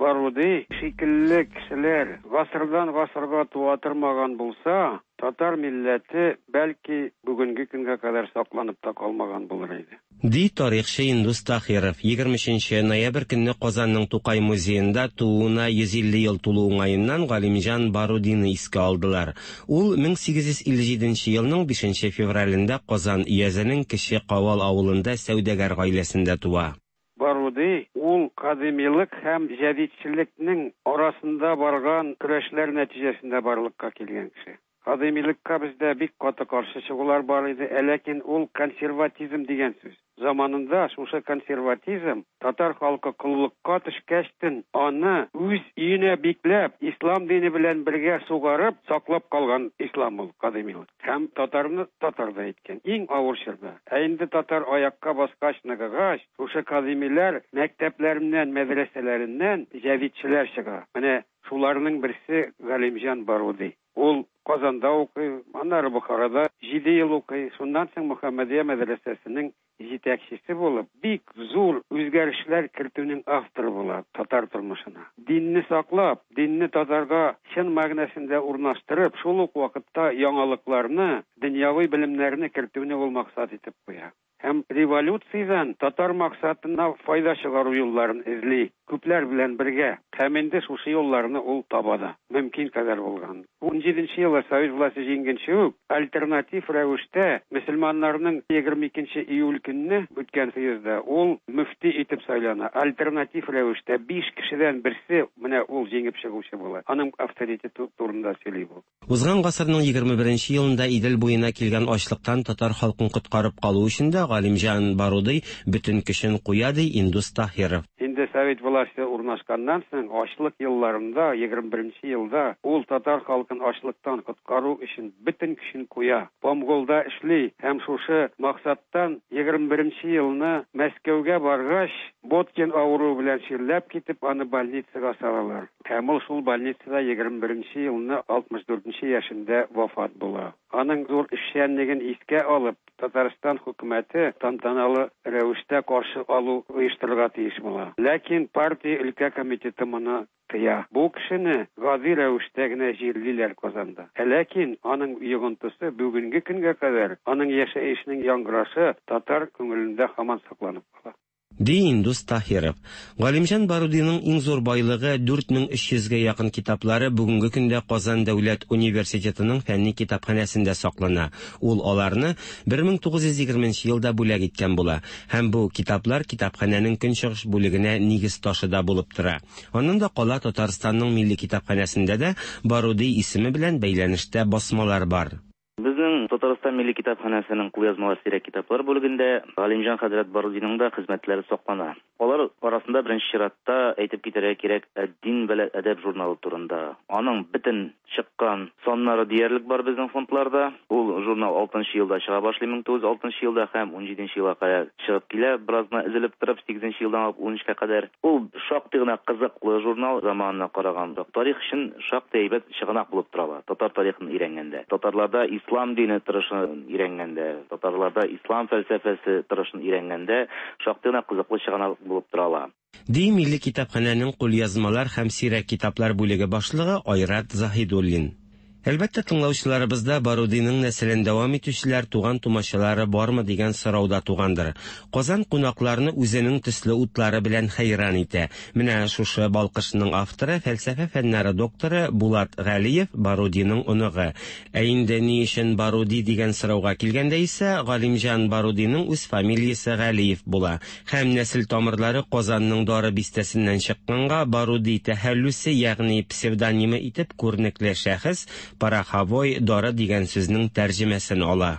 Баруди шикелле кешеләр гасырдан гасырга туа тормаган булса, татар милләте бәлки бүгенге көнгә кадәр сакланып та калмаган булыр иде. Ди тарихчы Индус Тахиров. егерме өченче ноябрь көнне Казанның Тукай музеенда тууына йөз илле ел тулу уңаеннан Галимҗан Барудины искә алдылар. Ул мең сигез йөз илле җиденче елның бишенче февралендә Казан өязенең Кече Кавал авылында сәүдәгәр гаиләсендә туа. Баруди ул кадимилык һәм җәдидчелекнең арасында барган көрәшләр нәтиҗәсендә барлыкка килгән кеше. Кадимилыкка бездә бик каты каршы чыгулар бар иде, ләкин ул консерватизм дигән сүз. Заманында шушы консерватизм татар халкы коллыкка төшкәчтен аны үз өенә бикләп, ислам дине белән бергә сугарып саклап калган ислам ул кадимилык. Һәм татарны татар да иткән иң авыр чорда. Ә инде татар аякка баскач, ныгыгач, шушы кадимиләр мәктәпләреннән, мәдрәсәләреннән җәдидчеләр чыга. Менә шуларның берсе Галимҗан Баруди. Ул Казанда укый, аннары Бухарада җиде ел укый. Шуннан соң Мөхәммәдия мәдрәсәсенең җитәкчесе булып, бик зур үзгәрешләр кертүнең авторы була татар тормышына. Динне саклап, динне татарга чын мәгънәсендә урнаштырып, шул ук вакытта яңалыкларны, дөньяви белемнәрне кертүне ул максат итеп куя. Һәм революциядән татар максатына файда чыгару юлларын эзли, күпләр белән бергә. Һәм инде шушы юлларны ул таба да, мөмкин кадәр булган. ун җиденче елда Совет власте җиңгәнче үк альтернатив рәвештә мөселманнарның егерме икенче июль көнне үткән съездда ул мөфти итеп сайлана. Альтернатив рәвештә биш кешедән берсе менә ул җиңеп чыгучы була. Аның авторитеты турында сөйли бу. Узган гасырның егерме беренче елында Идел буена килгән ачлыктан татар халкын коткарып калу өчен дә Галимҗан Баруди бөтен көчен куя, ди Индус Тахиров. Инде Совет власте урнашканнан соң ачлык елларында егерме беренче елда ул татар халкын ачлыктан коткару өчен бөтен көчен куя. Помголда эшли һәм шушы максаттан егерме беренче елны Мәскәүгә баргач, Боткин авыруы белән чирләп китеп, аны больницага салалар. Һәм ул шул больницада егерме беренче елны алтмыш дүртенче яшендә вафат була. Аның зур эшчәнлеген искә алып, Татарстан хөкүмәте тантаналы рәвештә каршы алу оештырырга тиеш була. Ләкин партия өлкә комитеты моны тыя. Бу кешене гади рәвештә генә җирлиләр Казанда. Ләкин аның йогынтысы бүгенге көнгә кадәр, аның яшәешенең яңгырашы татар күңелендә һаман сакланып кала. Ди Индус Тахиров. Галимҗан Барудиның иң зур байлыгы дүрт мең өч йөзгә якын китаплары бүгенге көндә Казан дәүләт университетының фәнни китапханәсендә саклана. Ул аларны бер мең тугыз йөз егерменче елда бүләк иткән була. Һәм бу китаплар китапханәнең көнчыгыш бүлегенә нигез ташы да булып тора. Аннан да кала Татарстанның милли китапханәсендә дә Баруди исеме белән бәйләнештә басмалар бар. Безнең Татарстан милли китапханәсенең кулъязмалар сирәк китаплар бүлегендә Галимҗан хәзрәт Барудиның да хезмәтләре саклана. Алар арасында беренче чиратта әйтеп китәргә кирәк Әд-Дин вә Әдәб журналы турында. Аның бөтен чыккан саннары диярлек бар безнең фондларда. Ул журнал алтынчы елда чыга башлый, мең тугыз йөз алтынчы елда һәм ун җиденче елга кадәр чыгып килә, бераз гына өзелеп торып сигезенче елдан алып ун өчкә кадәр. Ул шактый гына кызыклы журнал, заманына караганда тарих өчен шактый әйбәт чыганак булып тора. Татар тарихын өйрәнгәндә, татарларда ислам дине торышын өйрәнгәндә, татарларда ислам фәлсәфәсе торышын өйрәнгәндә шактый гына кызыклы чыганак булып тора ала. Ди милли китапханәнең кулъязмалар һәм сирәк китаплар бүлеге башлыгы Айрат Заһидуллин. Әлбәттә, тыңлаучыларыбызда Барудиның нәселен дәвам итүчеләр, туган тумачалары бармы дигән сорау да тугандыр. Казан кунакларны үзенең төсле утлары белән хәйран итә. Менә шушы балкышның авторы, фәлсәфә фәннәре докторы Булат Галиев Барудиның оныгы. Ә инде ни өчен Баруди дигән сорауга килгәндә исә, Галимҗан Барудиның үз фамилиясе Галиев була. Һәм нәсел тамырлары Казанның Дары бистәсеннән чыкканга Баруди тәхәллүсе, ягъни псевдонимы итеп күренекле шәхес пороховой дары дигән сүзнең тәрҗемәсен ала.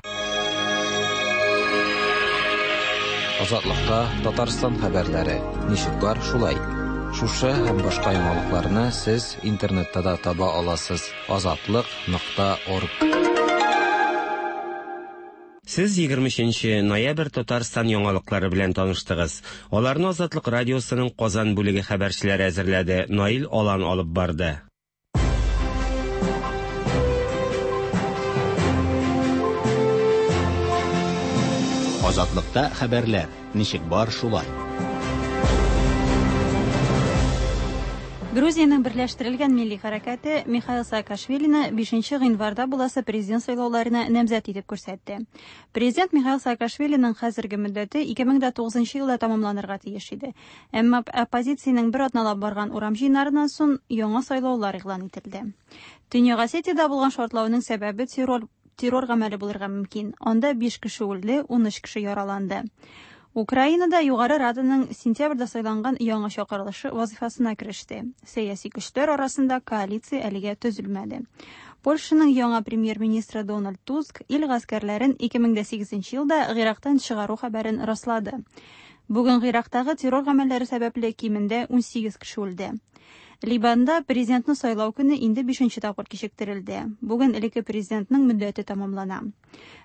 Азатлыкта Татарстан хәбәрләре ничек бар шулай. Шушы һәм башка яңалыкларны сез интернетта да таба аласыз. Азатлык нокта орг. Сез егерме өченче ноябрь Татарстан яңалыклары белән таныштыгыз. Аларны Азатлык радиосының Казан бүлеге хәбәрчеләре әзерләде. Наил Алан алып барды. Азатлыкта хәбәрләр ничек бар шулай. Грузиянең берләштерелгән милли хәрәкәте Михаил Саакашвилины бишенче гыйнварда буласы президент сайлауларына намзәт итеп күрсәтте. Президент Михаил Саакашвилиның хәзерге мөддәте ике мең дә тугызынчы елда тәмамланырга тиеш иде. Әмма оппозициянең бер атналап барган урам җыеннарыннан соң яңа сайлаулар игълан ителде. Төньяк Осетиядә булган шартлауның сәбәбе террор террор гамәле булырга мөмкин. Анда биш кеше үлде, ун өч кеше яраланды. Украинада Югары Раданың сентябрьдә сайланган яңа чакырылышы вазифасына кереште. Сәяси көчләр арасында коалиция әлегә төзелмәде. Польшаның яңа премьер-министры Дональд Туск ил гаскәрләрен ике мең дә сигезенче елда Гыйрактан чыгару хәбәрен раслады. Бүген Гыйрактагы террор гамәлләре сәбәпле кимендә ун сигез кеше үлде. Либанда президентны сайлау көне инде бишенче тапкыр кичектерелде. Бүген элекке президентның мөддәте тәмамлана.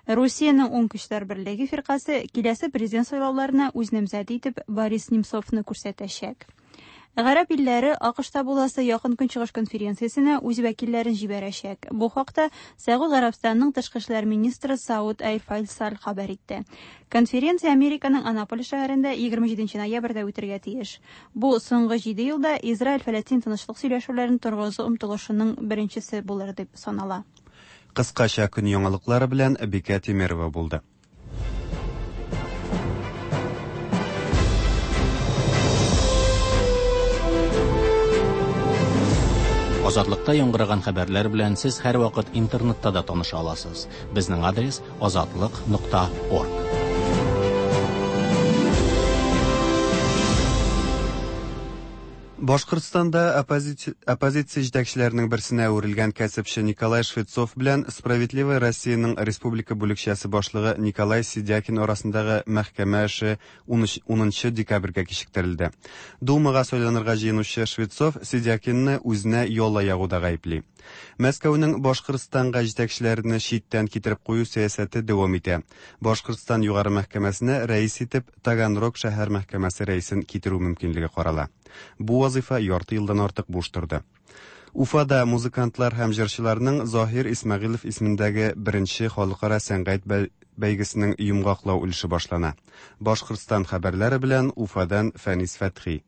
Русиянең Уң көчләр берлеге фиркасе киләсе президент сайлауларына үз намзәте итеп Борис Немцовны күрсәтәчәк. Гарәп илләре АКШта буласы Якын Көнчыгыш конференциясенә үз вәкилләрен җибәрәчәк. Бу хакта Сәгуд Гарәбстанының тышкы эшләр министры Сауд Әл-Файсал хәбәр итте. Конференция Американың Анаполис шәһәрендә егерме җиденче ноябрьдә үтергә тиеш. Бу соңгы җиде елда Израиль-Фәләстин тынычлык сөйләшүләрен торгызу омтылышының беренчесе булыр дип санала. Кыскача көн яңалыклары белән Бикә Тимирова булды. Азатлыкта яңгыраган хәбәрләр белән сез һәрвакыт интернетта да таныша аласыз. Безнең адрес азатлык нокта орг. Башкортстанда оппозиция, оппозиция җитәкчеләренең берсенә әверелгән кәсепче Николай Швецов белән Справедливая Россияның республика бүлекчәсе башлыгы Николай Сидякин арасындагы мәхкәмә эше унынчы декабрьгә кичектерелде. Думага сайланырга җыенучы Швецов Сидякинны үзенә яла ягуда гаепли. Мәскәүнең Башкортстанга җитәкчеләрне читтән китереп кую сәясәте дәвам итә. Башкортстан югары мәхкәмәсенә рәис итеп Таганрог шәһәр мәхкәмәсе рәисен китерү мөмкинлеге карала. Бу вазифа ярты елдан артык буш торды. Уфада музыкантлар һәм җырчыларның Заһир Исмәгыйлев исемендәге беренче халыкара сәнгать бәйгесенең йомгаклау өлеше башлана. Башкортстан хәбәрләре белән Уфадан Фәнис Фәтхи.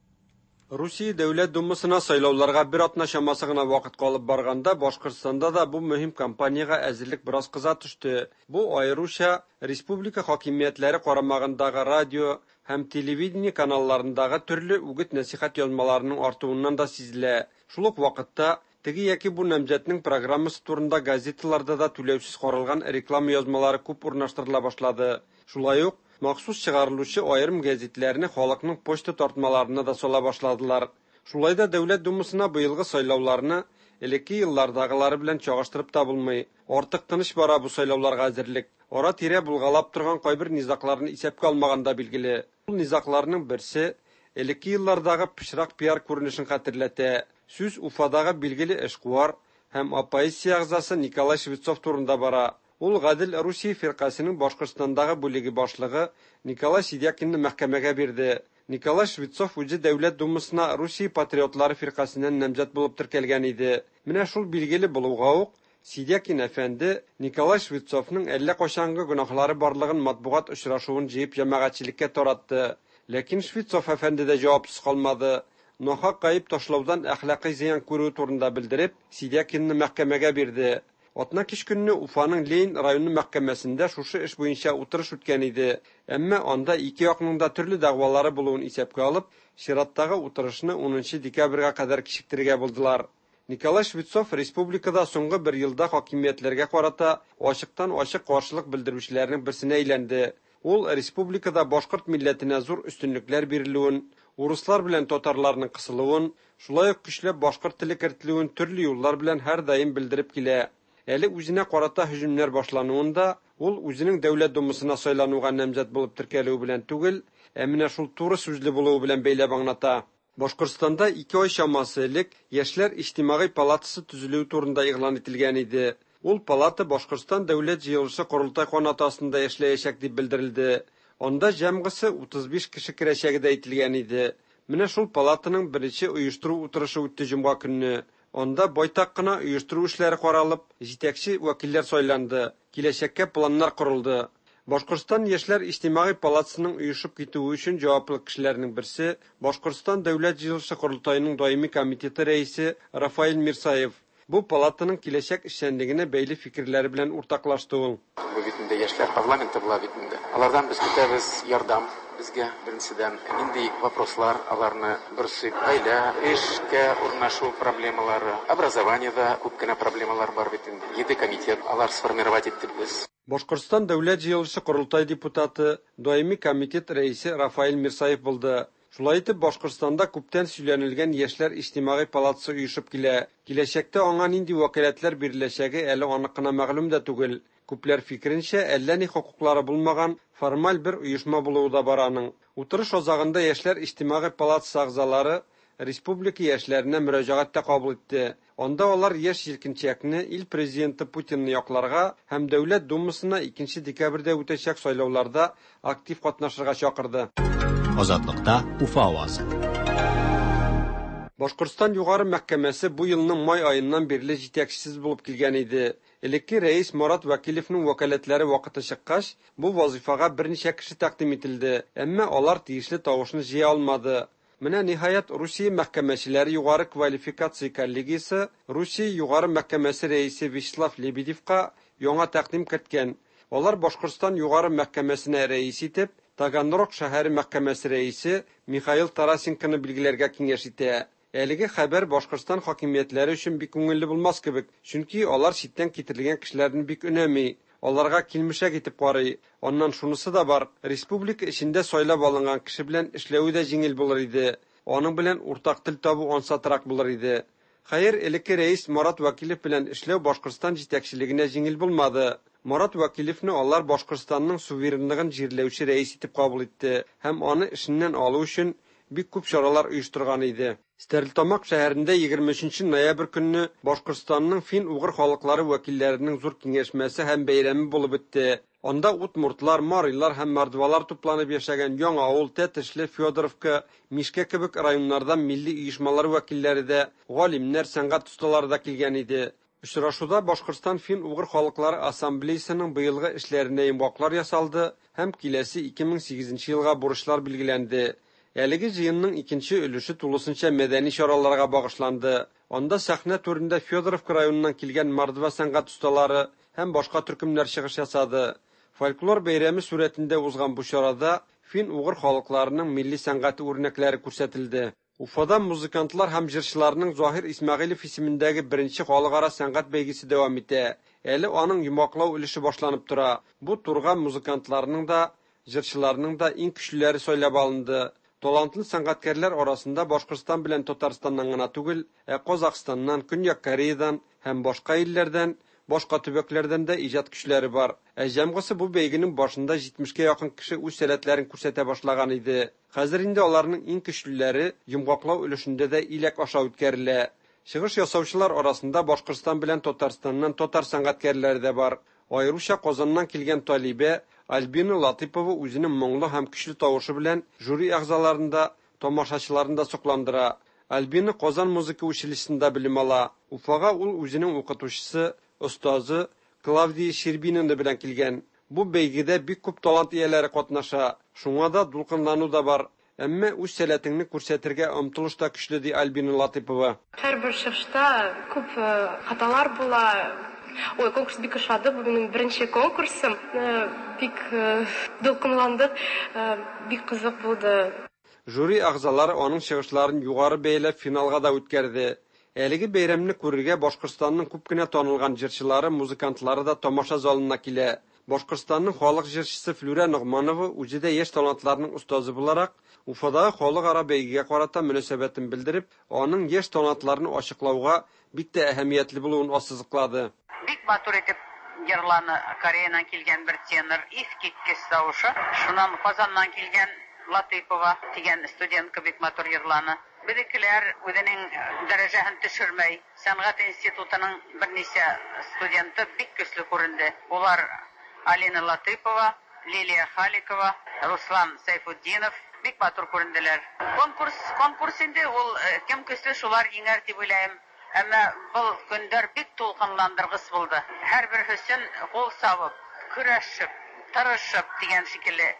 Русия Дәүләт Думасына сайлауларга бер атна чамасы гына вакыт калып барганда Башкортстанда да бу мөһим кампаниягә әзерлек бераз кыза төште. Бу аеруча республика хакимиятләре карамагындагы радио һәм телевидение каналларындагы төрле үгет-нәсихәт язмаларының артуыннан да сизелә. Шул ук вакытта теге яки бу намзәтнең программасы турында газеталарда да түләүсез каралган реклама язмалары күп урнаштырыла башлады. Шулай ук махсус чыгарылучы аерым гәзитләрне халыкның почта тартмаларына да сала башладылар. Шулай да Дәүләт Думасына быелгы сайлауларны элекке еллардагылары белән чагыштырып та булмый. Артык тыныч бара бу сайлауларга әзерлек. Ара-тирә булгалап торган кайбер низакларны исәпкә алмаганда билгеле. Ул низакларның берсе элекке еллардагы пычрак пиар күренешен хәтерләтә. Сүз Уфадагы билгеле эшкуар һәм оппозиция әгъзасы Николай Швецов турында бара. Ул Гадел Русия фиркасының Башкортстандагы бүлеге башлыгы Николай Сидякинны мәхкәмәгә бирде. Николай Швецов үзе Дәүләт Думасына Русия патриотлары фиркасыннан намзәт булып теркәлгән иде. Менә шул билгеле булуга ук Сидякин әфәнде Николай Швецовның әллә кайчангы гөнаһлары барлыгын матбугат очрашуын җыеп җәмәгатьчелеккә таратты. Ләкин Швецов әфәнде дә җавапсыз калмады. Нахак гаеп ташлаудан әхлакый зыян күрү турында белдереп, Сидякинны мәхкәмәгә бирде. Атна кич көнне Уфаның Ленин районы мәхкәмәсендә шушы эш буенча утырыш үткән иде. Әмма анда ике якның да төрле дәгъвалары булуын исәпкә алып, чираттагы утырышны унынчы декабрьгә кадәр кичектерергә булдылар. Николай Швецов республикада соңгы бер елда хакимиятләргә карата ачыктан-ачык каршылык белдерүчеләрнең берсенә әйләнде. Ул республикада башкорт милләтенә зур өстенлекләр бирелүен, урыслар белән татарларның кысылуын, шулай ук көчләп башкорт теле кертелүен төрле юллар белән һәрдаим белдереп килә. Әле үзенә карата һөҗүмнәр башлануында ул үзенең Дәүләт Думасына сайлануга намзәт булып теркәлүе белән түгел, ә менә шул туры сүзле булуы белән бәйләп аңлата. Башкортстанда ике ай чамасы элек Яшьләр иҗтимагый палатасы төзелүе турында игълан ителгән иде. Ул палата Башкортстан Дәүләт җыелышы корылтай канаты астында эшләячәк дип белдерелде. Анда җәмгысе утыз биш кеше керәчәге дә әйтелгән иде. Менә шул палатаның беренче оештыру утырышы үтте җомга көнне. Анда байтак кына оештыру эшләре каралып, җитәкче вәкилләр сайланды, киләчәккә планнар корылды. Башкортстан Яшьләр иҗтимагый палатасының оешып китүе өчен җаваплы кешеләрнең берсе Башкортстан Дәүләт җыелышы корылтаеның даими комитеты рәисе Рафаэль Мирсаев. Бу палатаның киләчәк эшчәнлегенә бәйле фикерләре белән уртаклашты ул. Бу бит инде яшьләр парламенты була бит инде. Алардан без көтәбез ярдәм безгә беренчедән нинди вопрослар аларны борчый, гаилә, эшкә урнашу проблемалары, образованиедә күп кенә проблемалар бар бит инде. Җиде комитет алар сформировать итте без. Башкортстан Дәүләт җыелышы корылтай депутаты, даими комитет рәисе Рафаэль Мирсаев булды. Шулай итеп, Башкортстанда күптән сөйләнелгән Яшьләр иҗтимагый палатасы оешып килә. Киләчәктә аңа нинди вәкаләтләр биреләчәге әле анык кына мәгълүм дә түгел. Күпләр фикеренчә, әллә ни хокуклары булмаган формаль бер оешма булуы да бар аның. Утырыш азагында Яшьләр иҗтимагый палатасы әгъзалары республика яшьләренә мөрәҗәгать тә кабул итте. Анда алар яшь җилкенчәкне ил президенты Путинны якларга һәм Дәүләт Думасына икенче декабрьдә үтәчәк сайлауларда актив катнашырга чакырды. Азатлыкта Уфа авазы. Башкортстан Югары мәхкәмәсе бу елның май аеннан бирле җитәкчесез булып килгән иде. Элекке рәис Марат Вәкилевның вәкаләтләре вакыты чыккач, бу вазифага берничә кеше тәкъдим ителде, әмма алар тиешле тавышны җыя алмады. Менә ниһаять Русия мәхкәмәчеләре югары квалификация коллегиясе Русия Югары мәхкәмәсе рәисе Вячеслав Лебедевка яңа тәкъдим керткән. Алар Башкортстан Югары мәхкәмәсенә рәис итеп Таганрог шәһәре мәхкәмәсе рәисе Михаил Тарасенконы билгеләргә киңәш итә. Әлеге хәбәр Башкортстан хакимиятләре өчен бик күңелле булмас кебек, чөнки алар читтән китерелгән кешеләрне бик өнәми, аларга килмешәк итеп карый. Аннан шунысы да бар, республика эчендә сайлап алынган кеше белән эшләве дә җиңел булыр иде, аның белән уртак тел табу ансатрак булыр иде. Хәер, элекке рәис Марат Вәкилев белән эшләү Башкортстан җитәкчелегенә җиңел булмады. Марат Вәкилевне алар Башкортстанның суверенлыгын җирләүче рәис итеп кабул итте һәм аны эшеннән алу өчен бик күп чаралар оештырган иде. Стәрлетамак шәһәрендә егерме өченче ноябрь көнне Башкортстанның фин-угыр халыклары вәкилләренең зур киңәшмәсе һәм бәйрәме булып үтте. Анда удмуртлар, марилар һәм мордвалар тупланып яшәгән Яңа авыл, Тәтешле, Федоровка, Мишкә кебек районнардан милли оешмалар вәкилләре дә, галимнәр, сәнгать осталары да килгән иде. Очрашуда Башкортстан фин-угыр халыклары ассамблеясының быелгы эшләренә йомгаклар ясалды һәм киләсе ике мең сигезенче елга бурычлар билгеләнде. Әлеге җыенның икенче өлеше тулысынча мәдәни чараларга багышланды. Анда сәхнә түрендә Федоровка районыннан килгән мордва сәнгать осталары һәм башка төркемнәр чыгыш ясады. Фольклор бәйрәме сурәтендә узган бу чарада фин-угыр халыкларының милли сәнгате үрнәкләре күрсәтелде. Уфада музыкантлар һәм җырчыларның Заһир Исмәгыйлев исемендәге беренче халыкара сәнгать бәйгесе дәвам итә. Әле аның йомгаклау өлеше башланып тора. Бу турга музыкантларның да, җырчыларның да иң көчлеләре сайлап алынды. Талантлы сәнгатькәрләр арасында Башкортстан белән Татарстаннан гына түгел, ә Казахстаннан, Көньяк Кореядан һәм башка илләрдән, башка төбәкләрдән дә иҗат көчләре бар. Ә җәмгысе бу бәйгенең башында җитмешкә якын кеше үз сәләтләрен күрсәтә башлаган иде. Хәзер инде аларның иң көчлеләре йомгаклау өлешендә дә иләк аша үткәрелә. Чыгыш ясаучылар арасында Башкортстан белән Татарстаннан татар сәнгатькәрләре дә бар. Аеруча Казаннан килгән талибә Альбина Латыпова үзенең моңлы һәм көчле тавышы белән жюри әгъзаларын да, тамашачыларын да сокландыра. Альбина Казан музыка училищесында белем ала. Уфага ул үзенең укытучысы, остазы Клавдия Щербинина белән килгән. Бу бәйгедә бик күп талант ияләре катнаша. Шуңа да дулкынлану да бар. Әмма үз сәләтеңне күрсәтергә омтылыш та көчле, ди Альбина Латыпова. Һәрбер чыгышта күп хаталар була. Ой, конкурс бик ошады. Бу минем беренче конкурсым. Бик дулкынландык, бик кызык булды. Жюри әгъзалары аның чыгышларын югары бәяләп финалга да үткәрде. Әлеге бәйрәмне күрергә Башкортстанның күп кенә танылган җырчылары, музыкантлары да тамаша залына килә. Башкортстанның халык җырчысы Флүрә Ногманова үзе дә яшь талантларның остазы буларак, Уфадагы халыкара бәйгегә карата мөнәсәбәтен белдереп, аның яшь талантларны ачыклауга бик тә әһәмиятле булуын ассызыклады. Бик матур итеп йырланы Кореядан килгән бер тенор, искиткеч тавышы. Шуннан Казаннан килгән Латыйпова дигән студентка бик матур йырланы. Безнекеләр үзенең дәрәҗәһен төшермәй. Сәнгать институтының берничә студенты бик көчле күренде. Улар Алина Латыпова, Лилия Халикова, Руслан Сайфутдинов бик матур күренделәр. Конкурс, конкурс инде ул кем көчле шулар җиңәр дип уйлыйм. Әмма был көндәр бик тулкынландыргыч булды. Һәрбер өчен кул сабып, көрәшеп, тырышып дигән шикелле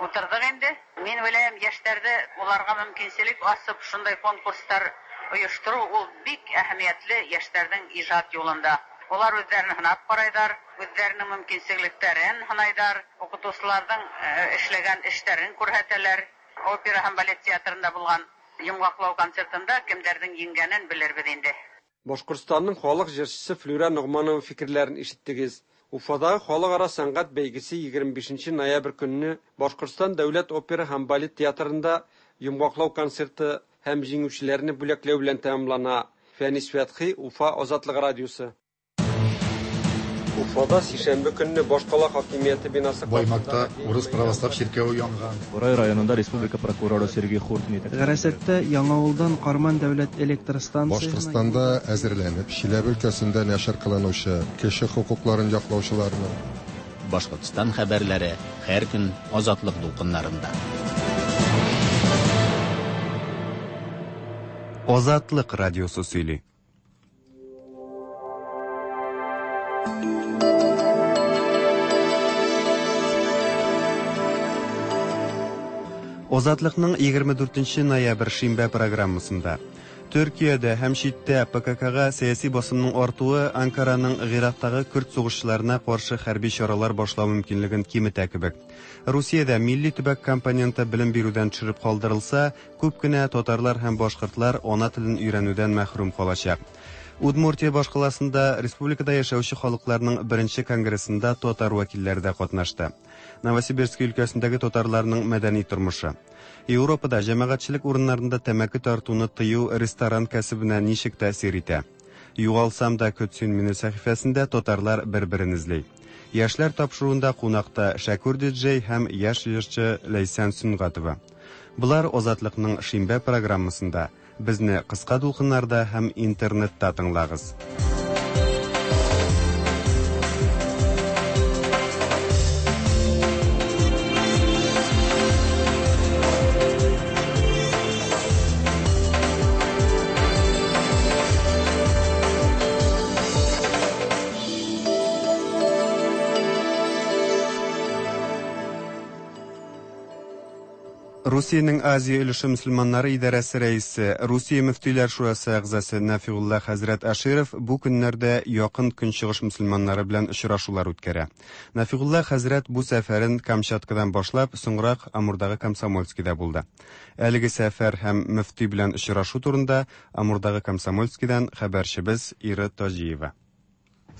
утырдык инде. Мин уйлыйм, яшьләрдә уларга мөмкинчелек асып шундай конкурслар оештыру ул бик әһәмиятле яшьләрнең иҗат юлында. Улар үзләрен һынап карайдар, үзләренең мөмкинчелекләрен һынайдар, укытучыларның эшләгән эшләрен күрһәтәләр. Опера һәм балет театрында булган йомгаклау концертында кемдәрнең җиңгәнен белербез инде. Башкортстанның халык җырчысы Флүрә Ногманова фикерләрен ишеттегез. Уфадагы халыкара сәнгать бәйгесе егерме бишенче ноябрь көнне Башкортстан дәүләт опера һәм балет театрында йомгаклау концерты һәм җиңүчеләрне бүләкләү белән тәмамлана. Фәнис Фәтхи, Уфа Азатлык радиосы. Уфада сишәмбе көнне башкала хакимияте бинасы Баймакта урыс православ чиркәве янган. Бурай районында республика прокуроры Сергей Хуртин. Гарасәттә Яңавылдан Карман дәүләт электр станциясенә Башкортстанда әзерләнеп, Чиләбе өлкәсендә нәшер кылынучы кеше хокукларын яклаучыларны Башкортстан хәбәрләре һәр көн Азатлык дулкыннарында. Азатлык радиосы сөйли. Азатлыкның егерме дүртенче ноябрь шимбә программасында Төркиядә һәм читтә П К К-га сәяси басымның артуы Анкараның Гыйрактагы көрд сугышчыларына каршы хәрби чаралар башлау мөмкинлеген киметә кебек. Русиядә милли төбәк компоненты белем бирүдән төшереп калдырылса, күп кенә татарлар һәм башкортлар ана телен өйрәнүдән мәхрүм калачак. Удмуртия башкаласында республикада яшәүче халыкларның беренче конгрессында татар вәкилләре дә катнашты. Новосибирск өлкәсендәге татарларның мәдәни тормышы. Европада җәмәгатьчелек урыннарында тәмәке тартуны тыю ресторан кәсебенә ничек тәэсир итә? Югалсам да көтсен мине сәхифәсендә татарлар бер-берен эзли. Яшьләр тапшыруында кунакта Шәкүр диджей һәм яшь җырчы Ләйсән Сөнгатова. Болар Азатлыкның шимбә программасында. Безне кыска дулкыннарда һәм интернетта тыңлагыз. Русиянең Азия өлеше мөселманнары идарәсе рәисе, Русия мөфтиләр шурасы әгъзасы Нафигулла хәзрәт Аширов бу көннәрдә якын көнчыгыш мөселманнары белән очрашулар үткәрә. Нафигулла хәзрәт бу сәфәрен Камчаткадан башлап, соңрак Амурдагы Комсомольскида булды. Әлеге сәфәр һәм мөфти белән очрашу турында Амурдагы Комсомольскидан хәбәрчебез Ира Таҗиева.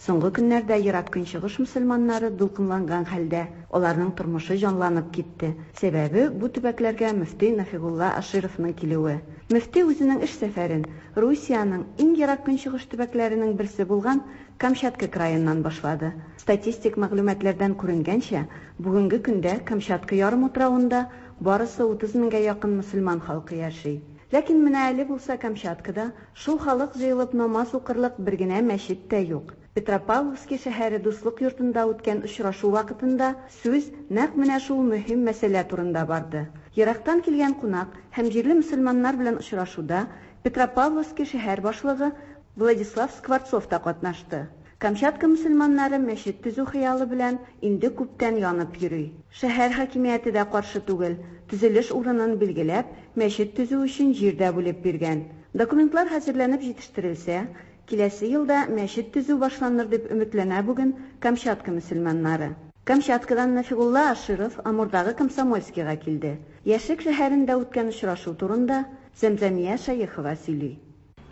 Соңгы көннәрдә ерак көнчыгыш мөселманнары дулкынланган хәлдә, аларның тормышы җанланып китте. Сәбәбе бу төбәкләргә мөфти Нафигулла Ашировның килүе. Мөфти үзенең эш сәфәрен Русиянең иң ерак көнчыгыш төбәкләренең берсе булган Камчатка краеннан башлады. Статистик мәгълүматлардан күренгәнчә, бүгенге көндә Камчатка ярымутравында барысы утыз меңгә якын мөселман халкы яши. Ләкин менә әле булса Камчаткада шул халык җыелып намаз укырлык бер генә мәчет тә юк. Петропавловский шәһәре дуслык йортында үткән очрашу вакытында сүз нәкъ менә шул мөһим мәсьәлә турында барды. Ерактан килгән кунак һәм җирле мөселманнар белән очрашуда Петропавловский шәһәр башлыгы Владислав Скворцов та катнашты. Камчатка мөселманнары мәчет төзү хыялы белән инде күптән янып йөри. Шәһәр хакимияте дә каршы түгел, төзелеш урынын билгеләп, мәчет төзү өчен җир дә бүлеп биргән. Документлар хәзерләнеп җитештерелсә, Киләсе елда мәчет төзү башланыр дип өметләнә бүген Камчатка мөселманнары. Камчаткадан Нафигулла Аширов Амурдагы Комсомольскийга килде. Яшьлек шәһәрендә үткән очрашу турында Зәмзәмия Шәехова сөйли.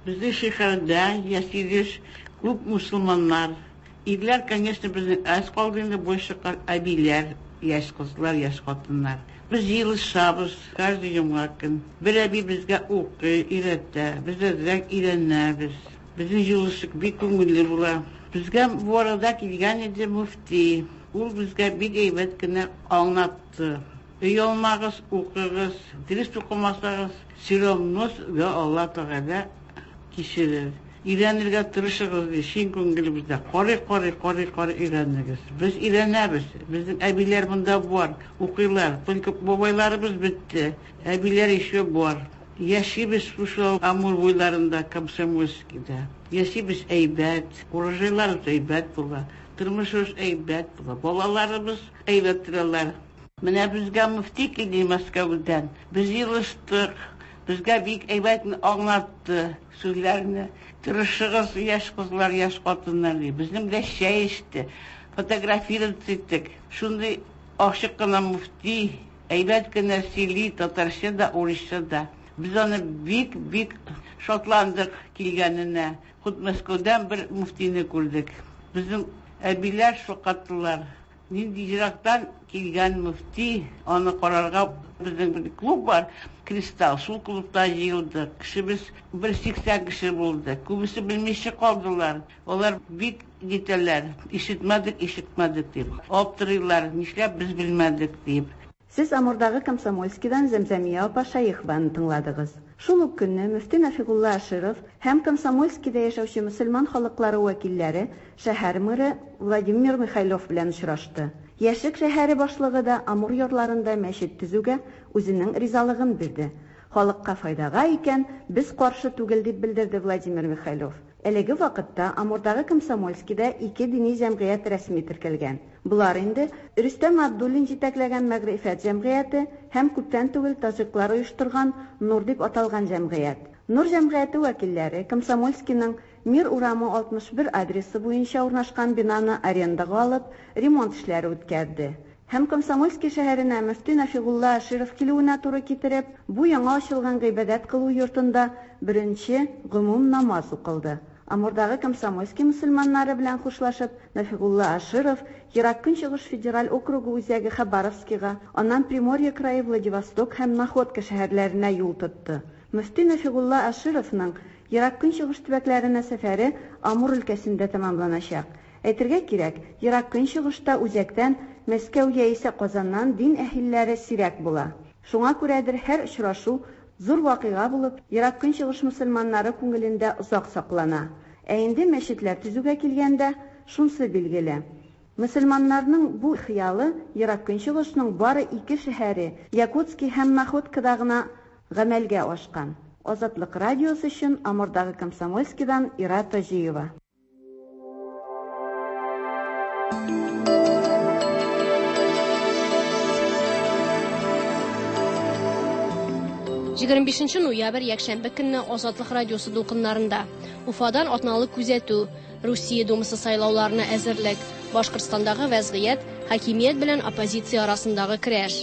Безнең шәһәрдә яшибез күп мусульманнар. Ирләр, конечно, безнең аз калды инде, больше әбиләр, яшь кызлар, яшь хатыннар. Без җыелышабыз каждый җомга көн. Бер әби безгә укый, өйрәтә, без әзрәк өйрәнәбез. Безнең җыелыш бик күңелле була. Безгә бу арада килгән иде мөфти. Ул безгә бик әйбәт кенә аңлатты. Оялмагыз, укыгыз, дөрес укымасагыз, все равно сезгә Алла Тәгалә кичерер. Өйрәнергә тырышыгыз, ди, чын күңелебездә. Карый, карый, карый, карый өйрәнегез. Без өйрәнәбез. Безнең әбиләр монда бар, укыйлар. Только бабайларыбыз бетте. Әбиләр еще бар. Яшибез шушы Амур буйларында, Комсомольскийда. Яшибез әйбәт, урожайларыбыз әйбәт була, тормышыбыз әйбәт була, балаларыбыз әйбәт торалар. Менә безгә мөфти килде Мәскәүдән. Без җыелыштык. Безгә бик әйбәт аңлатты сүзләрне. Тырышыгыз, яшь кызлар, яшь хатыннар ди. Безнең белән чәй эчте, фотографировать иттек. Шундый ачык кына мөфти, әйбәт кенә сөйли, татарча да, урысча да. Без аны бик-бик шатландык килгәненә. Худ Мәскәүдән бер мөфтине күрдек. Безнең әбиләр шаккаттылар. Нинди ерактан килгән мөфти, аны карарга безнең бер клуб бар, Кристалл, шул клубта җыелдык. Кешебез бер сиксән кеше булды. Күбесе белмичә калдылар. Алар бик нитәләр, ишетмәдек, ишетмәдек дип. Аптырыйлар, нишләп без белмәдек дип. Сез Амурдагы Комсомольскийдан Зәмзәмия апа Шәехованы тыңладыгыз. Шул ук көнне мөфти Нафигулла Аширов һәм Комсомольскийда яшәүче мөселман халыклары вәкилләре шәһәр мэры Владимир Михайлов белән очрашты. Яшьлек шәһәре башлыгы да Амур ярларында мәчет төзүгә үзенең ризалыгын бирде. Халыкка файдага икән, без каршы түгел дип белдерде Владимир Михайлов. Әлеге вакытта Амурдагы Комсомольскийда ике дини җәмгыять рәсми теркәлгән. Болар инде Рөстәм Абдуллин җитәкләгән Мәгърифәт җәмгыяте һәм күптән түгел таҗиклар оештырган Нур дип аталган җәмгыять. Нур җәмгыяте вәкилләре Комсомольскийның Мир урамы алтмыш бер адресы буенча урнашкан бинаны арендага алып, ремонт эшләре үткәрде. Һәм Комсомольский шәһәренә мөфти Нафигулла Аширов килүенә туры китереп, бу яңа ачылган гыйбадәт кылу йортында беренче гомум намаз укылды. Амурдагы Комсомольский мөселманнары белән хушлашып, Нафигулла Аширов Ерак Көнчыгыш федераль округы үзәге Хабаровскийга, аннан Приморье крае Владивосток һәм Находка шәһәрләренә юл тотты. Мөфти Нафигулла Ашировның Ерак Көнчыгыш төбәкләренә сәфәре Амур өлкәсендә тәмамланачак. Әйтергә кирәк, Ерак Көнчыгышта үзәктән Мәскәү яисә Казаннан дин әһелләре сирәк була. Шуңа күрәдер һәр очрашу зур вакыйга булып, Ерак Көнчыгыш мөселманнары күңелендә озак саклана. Ә инде мәчетләр төзүгә килгәндә, шунсы билгеле. Мөселманнарның бу хыялы Ерак Көнчыгышның бары ике шәһәре, Якутский һәм Находкада гына гамәлгә ашкан. Азатлык радиосы өчен Амурдагы Комсомольскийдан Ира Таҗиева. Егерме бишенче ноябрь якшәмбе көнне Азатлык радиосы дулкыннарында Уфадан атналык күзәтү, Русия Думасы сайлауларына әзерлек, Башкортстандагы вәзгыять, хакимият белән оппозиция арасындагы көрәш.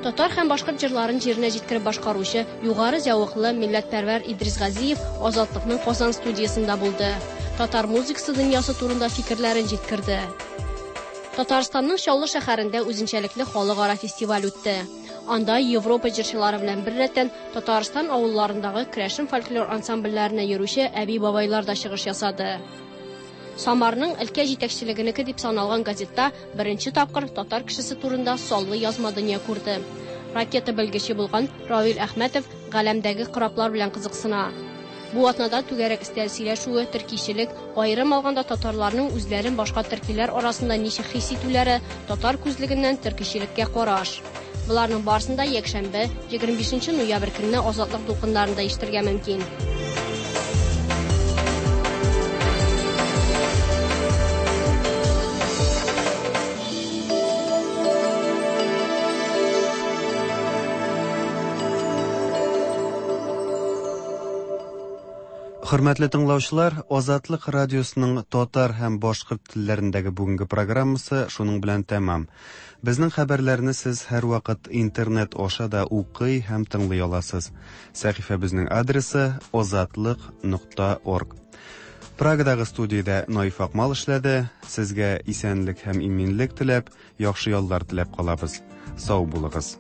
Татар һәм башкорт җырларын җиренә җиткереп башкаручы югары зәвыклы милләтпәрвәр Идрис Газиев Азатлыкның Казан студиясендә булды. Татар музыкасы дөньясы турында фикерләрен җиткерде. Татарстанның Чаллы шәһәрендә үзенчәлекле халыкара фестиваль үтте. Анда Европа җырчылары белән беррәттән Татарстан авылларындагы керәшен фольклор ансамбльләренә йөрүче әби-бабайлар да чыгыш ясады. Самарның өлкә җитәкчелегенеке дип саналган газетта беренче тапкыр татар кешесе турында саллы язма дөнья күрде. Ракета белгече булган Равил Әхмәтов галәмдәге кораблар белән кызыксына. Бу атнада түгәрәк өстәл сөйләшүе, төркичелек, аерым алганда татарларның үзләрен башка төркиләр арасында ничек хис итүләре, татар күзлегеннән төркичелеккә караш. Боларның барысын да якшәмбе, егерме бишенче ноябрь көнне Азатлык дулкыннарында ишетергә мөмкин. Хөрмәтле тыңлаучылар, Азатлык радиосының татар һәм башкорт телләрендәге бүгенге программасы шуның белән тәмам. Безнең хәбәрләрне сез һәрвакыт интернет аша да укый һәм тыңлый аласыз. Сәхифәбезнең адресы озатлык нокта орг. Прагадагы студиядә Наиф Акмал эшләде. Сезгә исәнлек һәм иминлек теләп, яхшы яллар теләп калабыз. Сау булыгыз.